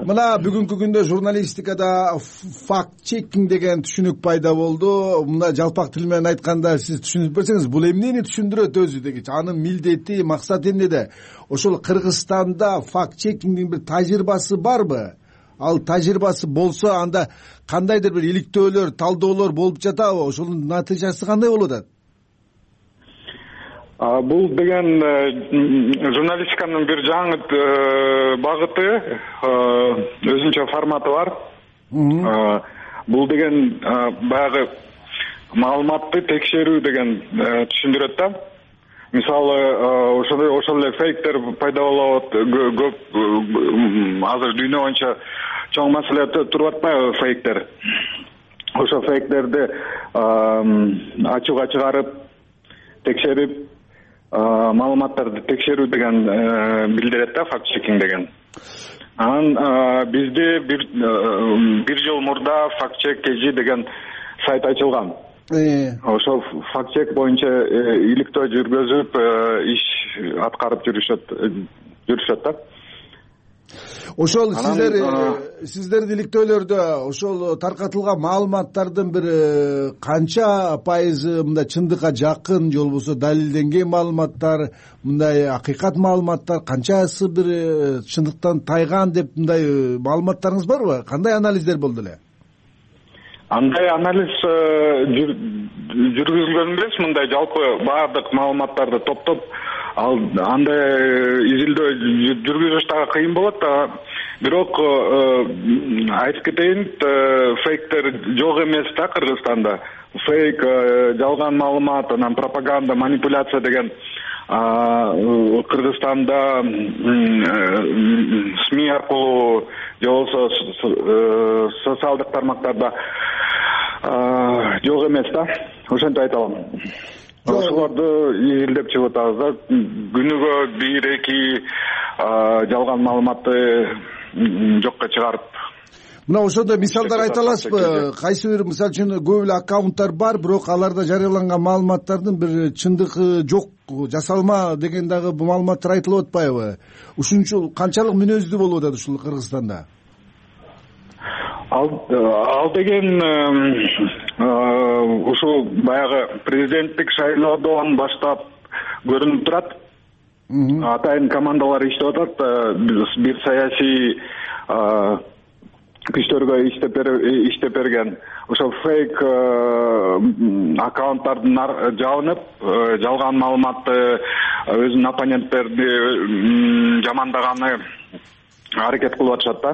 Мына бүгүнкү күндө журналистикада факт чекинг деген түшүнүк пайда болду. Мына жалпак тил менен айтканда сиз түшүнүп берсеңиз, бул эмнени түшүндүрөт өзү дегичи? Анын милдети, максаты эмнеде? Ошол Кыргызстанда факт чекингдин бир тажрыйбасы барбы? Ал тажрыйбасы болсо, анда кандайдыр бир иликтөөлөр, талдоолор болуп жатабы? Ошонун натыйжасы кандай болуп атат? бул деген журналистиканын бир жаңы багыты, өзүнчө форматы бар. Бул деген баягы маалыматты текшерүү деген түшүндүрөт да. Мисалы, ошол ошол эле фейктер пайда болот, көп азыр дүйнө боюнча чоң маселе туруп атпайбы фейктер. Ошол фейктерди ачууга чыгарып, текшерип, маалыматтарды текшерүү деген билдирет да, факт чекинг деген. Анан бизде бир бир жыл мурда факт чек кежи деген сайт ачылган. Ошол факт чек боюнча иликтөө жүргүзүп, иш аткарып жүрүшөт жүрүшөт да. Ошол сиздер сиздердин иликтөөлөрдө ошол таркатылган маалыматтардын бир канча пайызы мындай чындыкка жакын, же болбосо далилденген маалыматтар, мындай акыйкат маалыматтар, канчасы бир чындыктан тайган деп мындай маалыматтарыңыз барбы? Кандай анализдер болду эле? Андай анализ жүргүзүлгөн эмес, мындай жалпы баардык маалыматтарды топтоп, ал андай изилдөө жүргүзүш дагы кыйын болот да. Бирок айтып кетейин, фейктер жок эмес да Кыргызстанда. Фейк, жалган маалымат, анан пропаганда, манипуляция деген Кыргызстанда СМИ аркылуу же болбосо социалдык тармактарда жок эмес да. Ошентип айта алам. Ошолорду изилдеп чыгып атабыз да. Күнүгө бир эки жалган маалыматты жокко чыгарып. Мына ошондой мисалдар айта аласызбы? Кайсы бир, мисалы үчүн, көп эле аккаунттар бар, бирок аларда жарыяланган маалыматтардын бир чындыгы жок, жасалма деген дагы маалыматтар айтылып атпайбы? Ушунчу канчалык мүнөздүү болуп атат ушул Кыргызстанда? Ал ал деген ушул баягы президенттик шайлоодон баштап көрүнүп турат. Атайын командалар иштеп атат, бир саясий күчтөргө иштеп берген. Ошол фейк аккаунттардын жабынып, жалган маалыматты, өзүнүн оппоненттерди жамандаганы аракет кылып атышат да.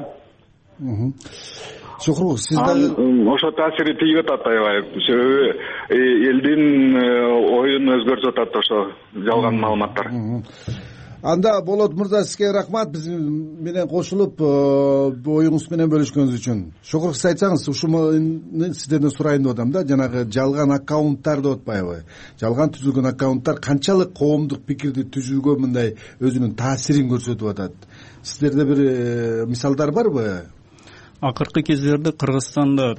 Шухрук, сиз дагы ошо таасири тийип атат аябай. Элдин оюн өзгөртүп атат ошо жалган маалыматтар. Анда Болот мырза, сизге рахмат биз менен кошулуп оюңуз менен бөлүшкөнүңүз үчүн. Шухрук, сиз айтсаңыз, ушуну сиздерден сурайын деп атам да, жанагы жалган аккаунттар деп атпайбы? Жалган түзүлгөн аккаунттар канчалык коомдук пикирди түзүүгө мындай өзүнүн таасирин көрсөтүп атат? Сиздерде бир мисалдар барбы? Акыркы кездерде Кыргызстанда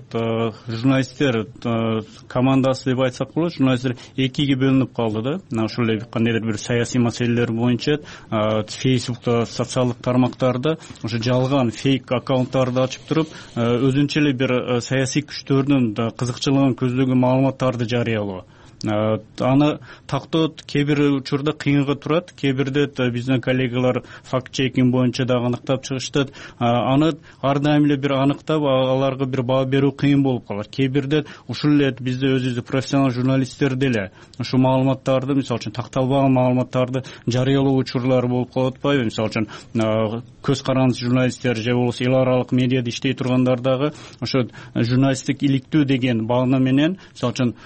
журналисттер командасы деп айтсак болот, журналисттер экиге бөлүнүп калды да. Ошол эле кандайдыр бир саясий маселелер боюнча Фейсбукта, социалдык тармактарда ошо жалган фейк аккаунттарды ачып туруп, өзүнчө эле бир саясий күчтөрдүн кызыкчылыгын көздөгөн маалыматтарды жарыялоо. Аны тактоо кээ бир учурда кыйынга турат, кээ бирде биздин коллегалар факт чекинг боюнча дагы аныктап чыгышты. Аны ар дайым эле бир аныктап, аларга бир баа берүү кыйын болуп калат. Кээ бирде ушул эле бизде өзүбүз профессионал журналисттер деле ушул маалыматтарды, мисалы үчүн такталбаган маалыматтарды жарыялоо учурлары болуп калып атпайбы? Мисалы үчүн көз карандысыз журналисттер же болбосо эл аралык медиада иштей тургандар дагы ошо журналисттик иликтүү деген баана менен, мисалы үчүн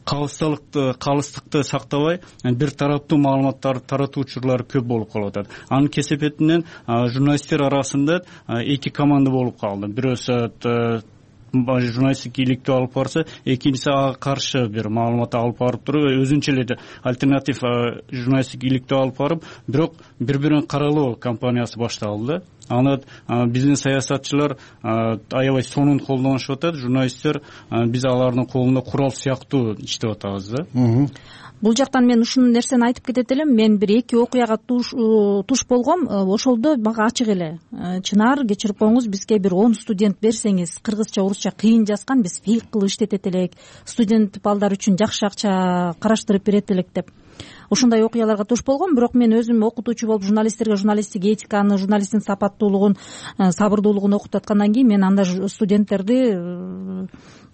калыстыкты калыстыкты сактабай, бир тараптуу маалыматтарды таратуу учурлары көп болуп калып атат. Анын кесепетинен журналисттер арасында эки команда болуп калды. Бирөөсү журналисттик иликтөө алып барса, экинчиси ага каршы бир маалымат алып барып туруп, өзүнчө эле альтернатив журналисттик иликтөө алып барып, бирок бири-бирин каралоо кампаниясы башталды. Аны биздин саясатчылар аябай сонун колдонушуп атат. Журналисттер биз алардын колунда курал сыяктуу иштеп атабыз да. Бул жактан мен ушул нерсени айтып кетет элем. Мен бир эки окуяга туш болгом. Ошолдо мага ачык эле. Чынар, кечирип коюңуз, бизге бир он студент берсеңиз, кыргызча, орусча кыйын жазган, биз фейк кылып иштетет элек. Студент балдар үчүн жакшы акча караштырып берет элек деп. Ушундай окуяларга туш болгом. Бирок мен өзүм окутуучу болуп журналисттерге журналисттик этиканы, журналисттин сапаттуулугун, сабырдуулугун окутуп аткандан кийин мен анда студенттерди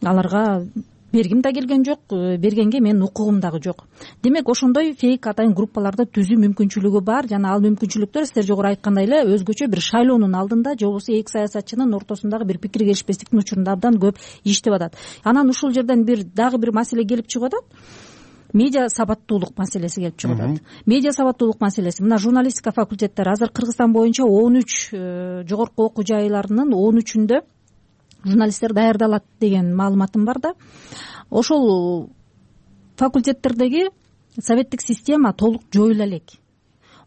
аларга бергим да келген жок, бергенге менин укугум дагы жок. Демек ошондой фейк атайын группаларды түзүү мүмкүнчүлүгү бар жана ал мүмкүнчүлүктөр сиздер жогору айткандай эле өзгөчө бир шайлоонун алдында же болбосо эки саясатчынын ортосундагы бир пикир келишпестиктин учурунда абдан көп иштеп атат. Анан ушул жерден бир дагы бир маселе келип чыгып атат. Медиа сабаттуулук маселеси келип чыгып атат. Медиа сабаттуулук маселеси. Мына журналистика факультеттери азыр Кыргызстан боюнча он үч жогорку окуу жайларынын он үчүндө журналисттер даярдалат деген маалыматым бар да. Ошол факультеттердеги советтик система толук жоюла элек.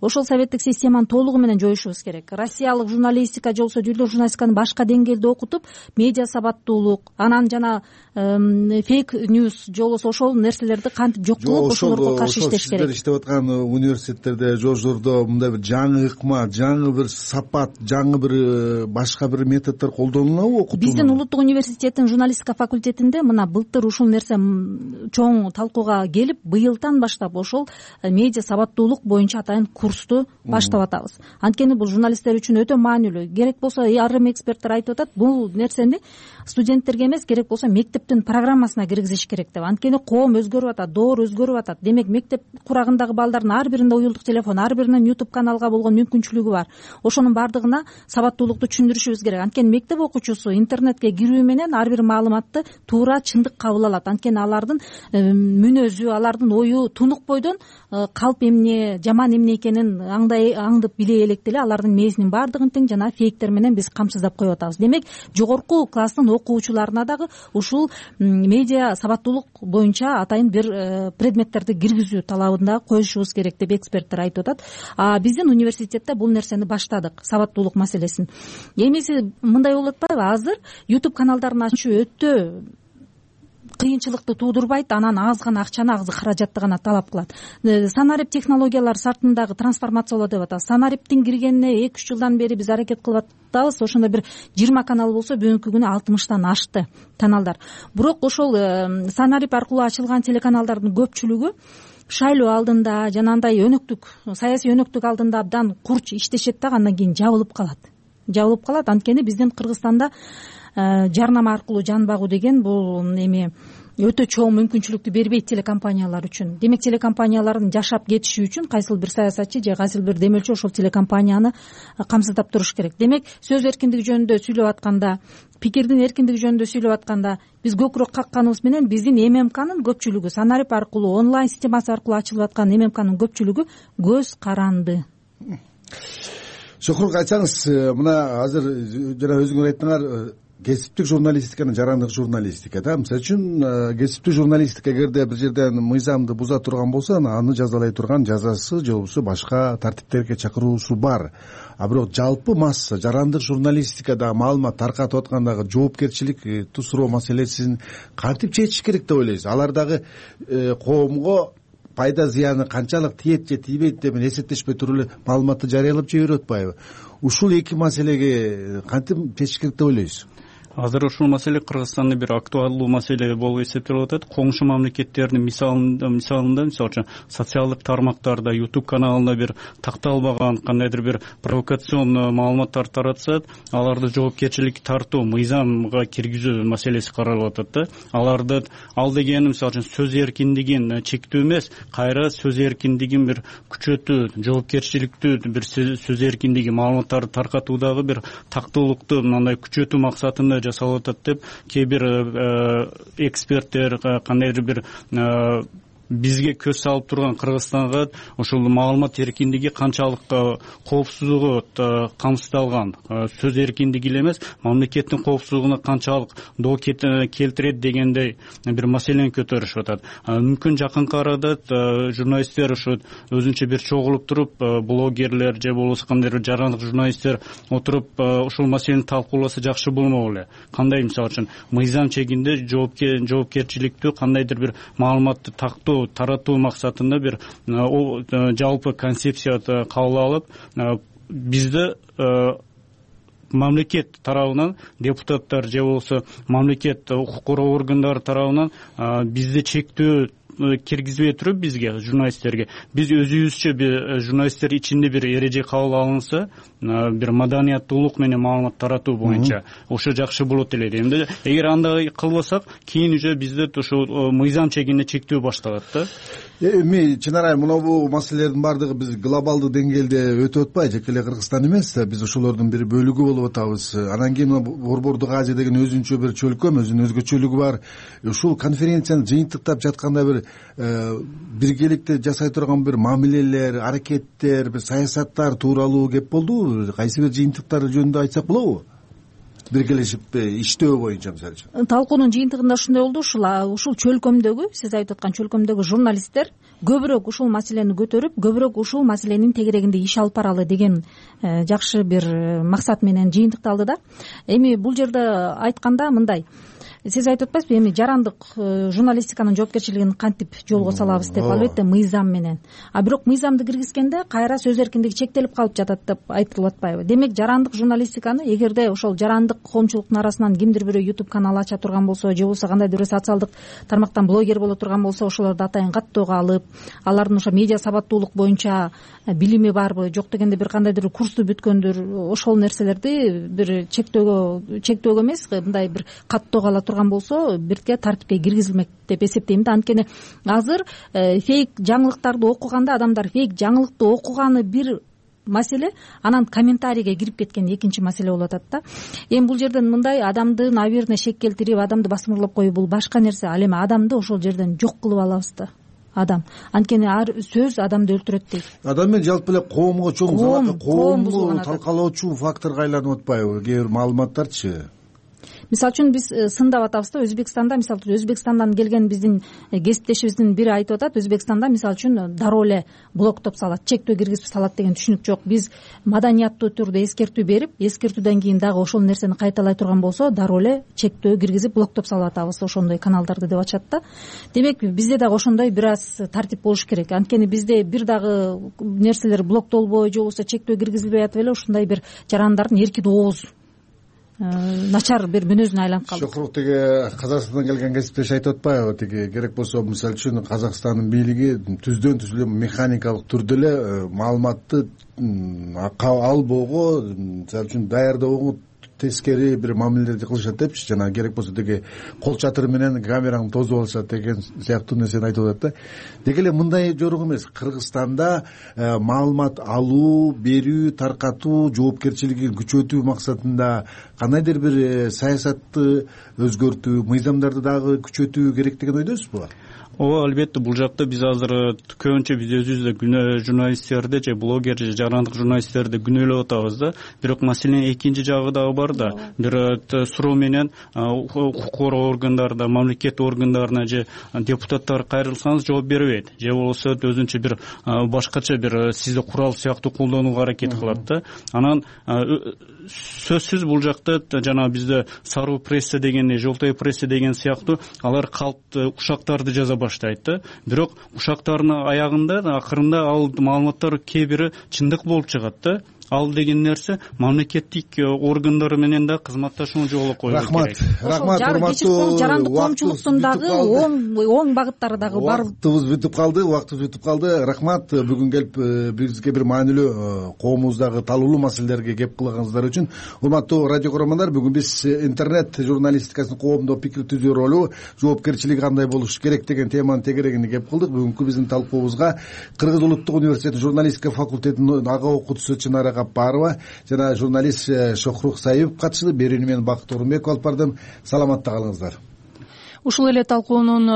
Ошол советтик системаны толугу менен жоюшубуз керек. Россиялык журналистика же болбосо дүйнөлүк журналистиканы башка деңгээлде окутуп, медиа сабаттуулук, анан жана фейк ньюс же болбосо ошол нерселерди кантип жок кылып ошолорго каршы иштеш керек. Сиздер иштеп аткан университеттерде, жождордо мындай бир жаңы ыкма, жаңы бир сапат, жаңы бир башка бир методдор колдонулабы окутуу? Биздин улуттук университеттин журналистика факультетинде мына былтыр ушул нерсе чоң талкууга келип, быйылдан баштап ошол медиа сабаттуулук боюнча атайын курсту баштап атабыз. Анткени бул журналисттер үчүн өтө маанилүү. Керек болсо айрым эксперттер айтып атат, бул нерсени студенттерге эмес, керек болсо мектептин программасына киргизиш керек деп. Анткени коом өзгөрүп атат, доор өзгөрүп атат. Демек мектеп курагындагы балдардын ар биринде уюлдук телефон, ар биринин YouTube каналга болгон мүмкүнчүлүгү бар. Ошонун бардыгына сабаттуулукту түшүндүрүшүбүз керек. Анткени мектеп окуучусу интернетке кирүү менен ар бир маалыматты туура чындык кабыл алат. Анткени алардын мүнөзү, алардын ою тунук бойдон калп эмне, жаман эмне экенин аңдай аңдып биле элек деле алардын мээсинин баардыгын тең жана фейктер менен биз камсыздап коюп атабыз. Демек жогорку класстын окуучуларына дагы ушул медиа сабаттуулук боюнча атайын бир предметтерди киргизүү талабында коюшубуз керек деп эксперттер айтып атат. А биздин университетте бул нерсени баштадык, сабаттуулук маселесин. Эмеси мындай болуп атпайбы? Азыр YouTube каналдарын ачуу өтө кыйынчылыкты туудурбайт, анан аз гана акчаны, аз каражатты гана талап кылат. Санарип технологиялар сартындагы трансформациялоо деп атабыз. Санариптин киргенине эки үч жылдан бери биз аракет кылып атабыз. Ошондо бир жыйырма канал болсо бүгүнкү күнү алтымыштан ашты каналдар. Бирок ошол Санарип аркылуу ачылган телеканалдардын көпчүлүгү шайлоо алдында жана андай өнөктүк, саясий өнөктүк алдында абдан курч иштешет да, андан кийин жабылып калат. Жабылып калат. Анткени биздин Кыргызстанда жарнама аркылуу жан багуу деген бул эми өтө чоң мүмкүнчүлүктү бербейт телекомпаниялар үчүн. Демек телекомпаниялардын жашап кетиши үчүн кайсыл бир саясатчы же кайсыл бир демелчи ошол телекомпанияны камсыздап туруш керек. Демек сөз эркиндиги жөнүндө сүйлөп атканда, пикирдин эркиндиги жөнүндө сүйлөп атканда биз көкүрөк какканыбыз менен биздин эм эм канын көпчүлүгү Санарип аркылуу, онлайн системасы аркылуу ачылып аткан эм эм канын көпчүлүгү көз каранды. Шохрук, айтсаңыз, мына азыр жана өзүңөр айттыңар, кесиптик журналистиканы жарандык журналистика да. Мисалы үчүн кесиптик журналистика эгерде бир жерден мыйзамды буза турган болсо, аны жазалай турган жазасы же болбосо башка тартиптерге чакыруусу бар. А бирок жалпы масса жарандык журналистикада маалымат таркатып аткандагы жоопкерчилик тусуроо маселесин кантип чечиш керек деп ойлойсуз? Алар дагы коомго пайда зыяны канчалык тиет же тийбейт деп эсептешпей туруп эле маалыматты жарыялап жиберип атпайбы? Ушул эки маселеге кантип чечиш керек деп ойлойсуз? Азыр ушул маселе Кыргызстанда бир актуалдуу маселе болуп эсептелип атат. Коңшу мамлекеттердин мисалында, мисалында мисалы үчүн социалдык тармактарда, YouTube каналында бир такталбаган кандайдыр бир провокацион маалыматтар таратса, аларды жоопкерчиликке тартуу, мыйзамга киргизүү маселеси каралып атат да. Аларды ал дегени мисалы үчүн сөз эркиндигин чектөө эмес, кайра сөз эркиндигин бир күчөтүү, жоопкерчиликтүү бир сөз эркиндиги маалыматтарды таркатуудагы бир тактуулукту мындай күчөтүү максатында жасалып атат деп кээ бир эксперттер кандайдыр бир бизге көз салып турган Кыргызстанга ошол маалымат эркиндиги канчалык коопсуздугу камсыздалган, сөз эркиндиги эле эмес, мамлекеттин коопсуздугуна канчалык доо келтирет дегендей бир маселени көтөрүшүп атат. Мүмкүн жакынкы арада журналисттер ошо өзүнчө бир чогулуп туруп, блогерлер же болбосо кандайдыр бир жарандык журналисттер отуруп ошол маселени талкууласа жакшы болмок эле. Кандай мисалы үчүн мыйзам чегинде жоопкерчиликтүү кандайдыр бир маалыматты тактоо таратуу максатында бир жалпы концепция кабыл алып, бизде мамлекет тарабынан депутаттар же болбосо мамлекет укук коргоо органдары тарабынан бизде чектөө киргизбей туруп бизге журналисттерге биз өзүбүзчө журналисттер ичинде бир эреже кабыл алынса, бир маданияттуулук менен маалымат таратуу боюнча ошо жакшы болот эле дейм да. Эгер андай кылбасак, кийин уже бизде ошо мыйзам чегинде чектөө башталат да. Эми чынарай мынабу маселелердин баардыгы биз глобалдык деңгээлде өтүп атпайбы, жеке эле Кыргызстан эмес, биз ошолордун бир бөлүгү болуп атабыз. Анан кийин Борбордук Азия деген өзүнчө бир чөлкөм, өзүнүн өзгөчөлүгү бар. Ушул конференцияны жыйынтыктап жатканда бир биргеликте жасай турган бир мамилелер, аракеттер, бир саясаттар тууралуу кеп болдубу? Кайсы бир жыйынтыктар жөнүндө айтсак болобу? Биргелешип иштөө боюнча мисалы үчүн талкуунун жыйынтыгында ушундай болду. Ушул ушул чөлкөмдөгү, сиз айтып аткан чөлкөмдөгү журналисттер көбүрөөк ушул маселени көтөрүп, көбүрөөк ушул маселенин тегерегинде иш алып баралы деген жакшы бир максат менен жыйынтыкталды да. Эми бул жерде айтканда мындай, сиз айтып атпайсызбы, эми жарандык журналистиканын жоопкерчилигин кантип жолго салабыз деп? Албетте мыйзам менен. А бирок мыйзамды киргизгенде кайра сөз эркиндиги чектелип калып жатат деп айтылып атпайбы? Демек жарандык журналистиканы эгерде ошол жарандык коомчулуктун арасынан кимдир бирөө YouTube канал ача турган болсо, же болбосо кандайдыр бир социалдык тармактан блогер боло турган болсо, ошолорду атайын каттоого алып, алардын ошо медиа сабаттуулук боюнча билими барбы, жок дегенде бир кандайдыр курсту бүткөндүр, ошол нерселерди бир чектөөгө чектөөгө эмес, мындай бир каттоого ала турган болсо, бирге тартипке киргизилмек деп эсептейм да. Анткени азыр фейк жаңылыктарды окуганда адамдар фейк жаңылыкты окуганы бир маселе, анан комментарийге кирип кеткен экинчи маселе болуп атат да. Эми бул жерден мындай адамды наверное шек келтирип, адамды басмырлап коюу бул башка нерсе. Ал эми адамды ошол жерден жок кылып алабыз да. Адам, анткени ар сөз адамды өлтүрөт дейт. Адам менен жалпы эле коомго чоң коомду талкалоочу факторго айланып атпайбы кээ бир маалыматтарчы? Мисалы үчүн биз сындап атабыз да, Өзбекстанда, мисалы үчүн Өзбекстандан келген биздин кесиптешибиздин бири айтып атат, Өзбекстанда мисалы үчүн дароо эле блоктоп салат, чектөө киргизип салат деген түшүнүк жок. Биз маданияттуу түрдө эскертүү берип, эскертүүдөн кийин дагы ошол нерсени кайталай турган болсо, дароо эле чектөө киргизип блоктоп салып атабыз ошондой каналдарды деп атышат да. Демек бизде дагы ошондой бир аз тартип болуш керек. Анткени бизде бир дагы нерселер блоктолбой, же болбосо чектөө киргизилбей атып эле ушундай бир жарандардын эркин ооз начар бир мүнөзүнө айланып калды. Шокурук тиги Казакстандан келген кесиптеш айтып атпайбы, тиги керек болсо мисалы үчүн Казакстандын бийлиги түздөн түз эле механикалык түрдө эле маалыматты албоого, мисалы үчүн даярдоого тескери бир мамилелерди кылышат депчи, жана керек болсо деги кол чатыры менен камераңды тосуп алышат деген сыяктуу нерсени айтып атат да. Деги эле мындай жорук эмес, Кыргызстанда маалымат алуу, берүү, таркатуу жоопкерчилигин күчөтүү максатында кандайдыр бир саясатты өзгөртүү, мыйзамдарды дагы күчөтүү керек деген ойдосузбу? Ооба, албетте бул жакта биз азыр көбүнчө биз өзүбүздө күнөө журналисттерди же блогер же жарандык журналисттерди күнөөлөп атабыз да. Бирок маселенин экинчи жагы дагы бар да. Бир суроо менен укук коргоо органдарына, мамлекет органдарына же депутаттар кайрылсаңыз жооп бербейт, же болбосо өзүнчө бир башкача бир сизди курал сыяктуу колдонууга аракет кылат да. Анан сөзсүз бул жакта жана бизде саруу пресса деген, желтой пресса деген сыяктуу алар калпты ушактарды жаза баштайт да. Бирок ушактардын аягында акырында ал маалыматтар кээ бири чындык болуп чыгат да. Ал деген нерсе мамлекеттик органдар менен да кызматташууну жолго коюу керек. Рахмат, рахмат, урматтуу жарандык коомчулуктун дагы оң оң багыттары дагы бар. Убактыбыз бүтүп калды, убактыбыз бүтүп калды. Рахмат, бүгүн келип бизге бир маанилүү коомубуздагы талуулуу маселелерге кеп кылганыңыздар үчүн. Урматтуу радио көрөрмандар, бүгүн биз интернет журналистикасынын коомдо пикир түзүү ролу, жоопкерчилиги кандай болуш керек деген теманын тегерегине кеп кылдык. Бүгүнкү биздин талкуубузга Кыргыз улуттук университетинин журналистика факультетинин ага окутуучусу Чынара Капарова жана журналист Шохрук Саипов катышты. Берүүнү мен Бакыт Орунбеков алып бардым. Саламатта калыңыздар. Ушул эле талкуунун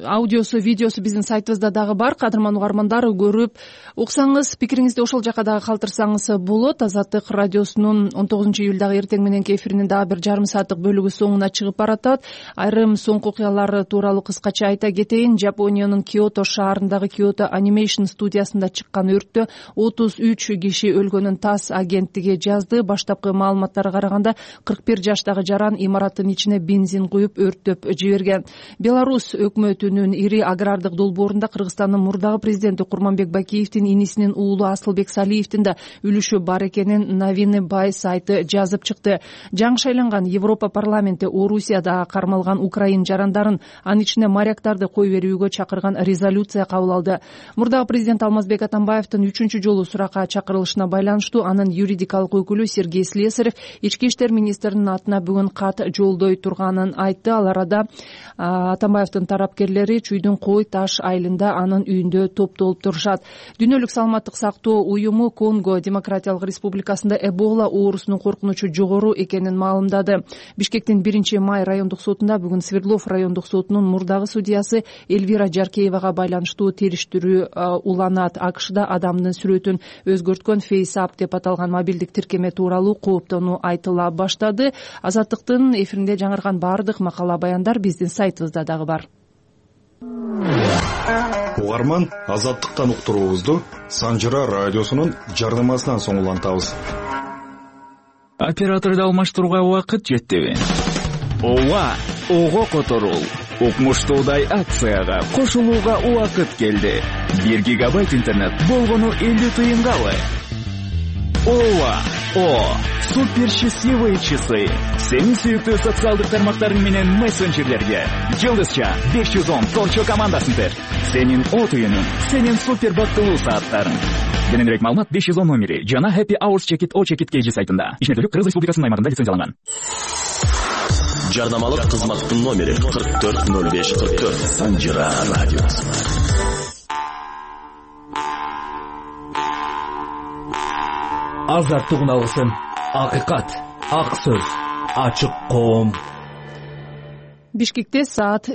аудиосу, видеосу биздин сайтыбызда дагы бар. Кадырман угармандар, көрүп уксаңыз, пикириңизди ошол жака дагы калтырсаңыз болот. Азаттык радиосунун он тогузунчу июлдагы эртең мененки эфиринин дагы бир жарым сааттык бөлүгү соңуна чыгып баратат. Айрым соңку окуялар тууралуу кыскача айта кетейин. Жапониянын Киото шаарындагы Kyoto Animation студиясында чыккан өрттө отуз үч киши өлгөнүн ТАСС агенттиги жазды. Баштапкы маалыматтарга караганда кырк бир жаштагы жаран имараттын ичине бензин куюп өрттү өрттөп жиберген. Беларусь өкмөтүнүн ири агрардык долбоорунда Кыргызстандын мурдагы президенти Курманбек Бакиевдин инисинин уулу Асылбек Салиевдин да үлүшү бар экенин Новины Бай сайты жазып чыкты. Жаңы шайланган Европа парламенти Орусияда кармалган украин жарандарын, анын ичинде моряктарды кой берүүгө чакырган резолюция кабыл алды. Мурдагы президент Алмазбек Атамбаевдин үчүнчү жолу суракка чакырылышына байланыштуу анын юридикалык өкүлү Сергей Слесарев ички иштер министринин атына бүгүн кат жолдой турганын айтты. Ал арада Атамбаевдин тарапкерлери Чүйдүн Кой Таш айылында анын үйүндө топтолуп турушат. Дүйнөлүк саламаттык сактоо уюму Конго Демократиялык Республикасында Эбола оорусунун коркунучу жогору экенин маалымдады. Бишкектин биринчи май райондук сотунда бүгүн Свердлов райондук сотунун мурдагы судьясы Эльвира Жаркеевага байланыштуу териштирүү уланат. АКШда адамдын сүрөтүн өзгөрткөн FaceApp деп аталган мобилдик тиркеме тууралуу кооптонуу айтыла баштады. Азаттыктын эфиринде жаңырган баардык макала баяндар биздин сайтыбызда дагы бар. Угарман, Азаттыктан уктуруубузду Санжыра радиосунун жардамасынан соң улантабыз. Операторду алмаштырууга убакыт жеттиби? Ооба, ого которул. Укмуштуудай акцияга кошулууга убакыт келди. бир гигабайт интернет болгону элүү тыйынгабы? Ооба, о, супер счастливые часы. Сенин сүйүктүү социалдык тармактарың менен мессенджерлерге Жылдызча беш жүз он Торчо командасын бер. Сенин от уюнуң, сенин супер бактылуу сааттарың. Кененирээк маалымат беш жүз он номери жана Happy Hours Check-it O Check-it Kg сайтында. Ишмердүүлүк Кыргыз Республикасынын аймагында лицензияланган. Жардамалык кызматтын номери кырк төрт ноль беш кырк төрт. Санжыра радиосу. Азаттык алгысын, акыйкат, ак сөз, ачык коом. Бишкекте саат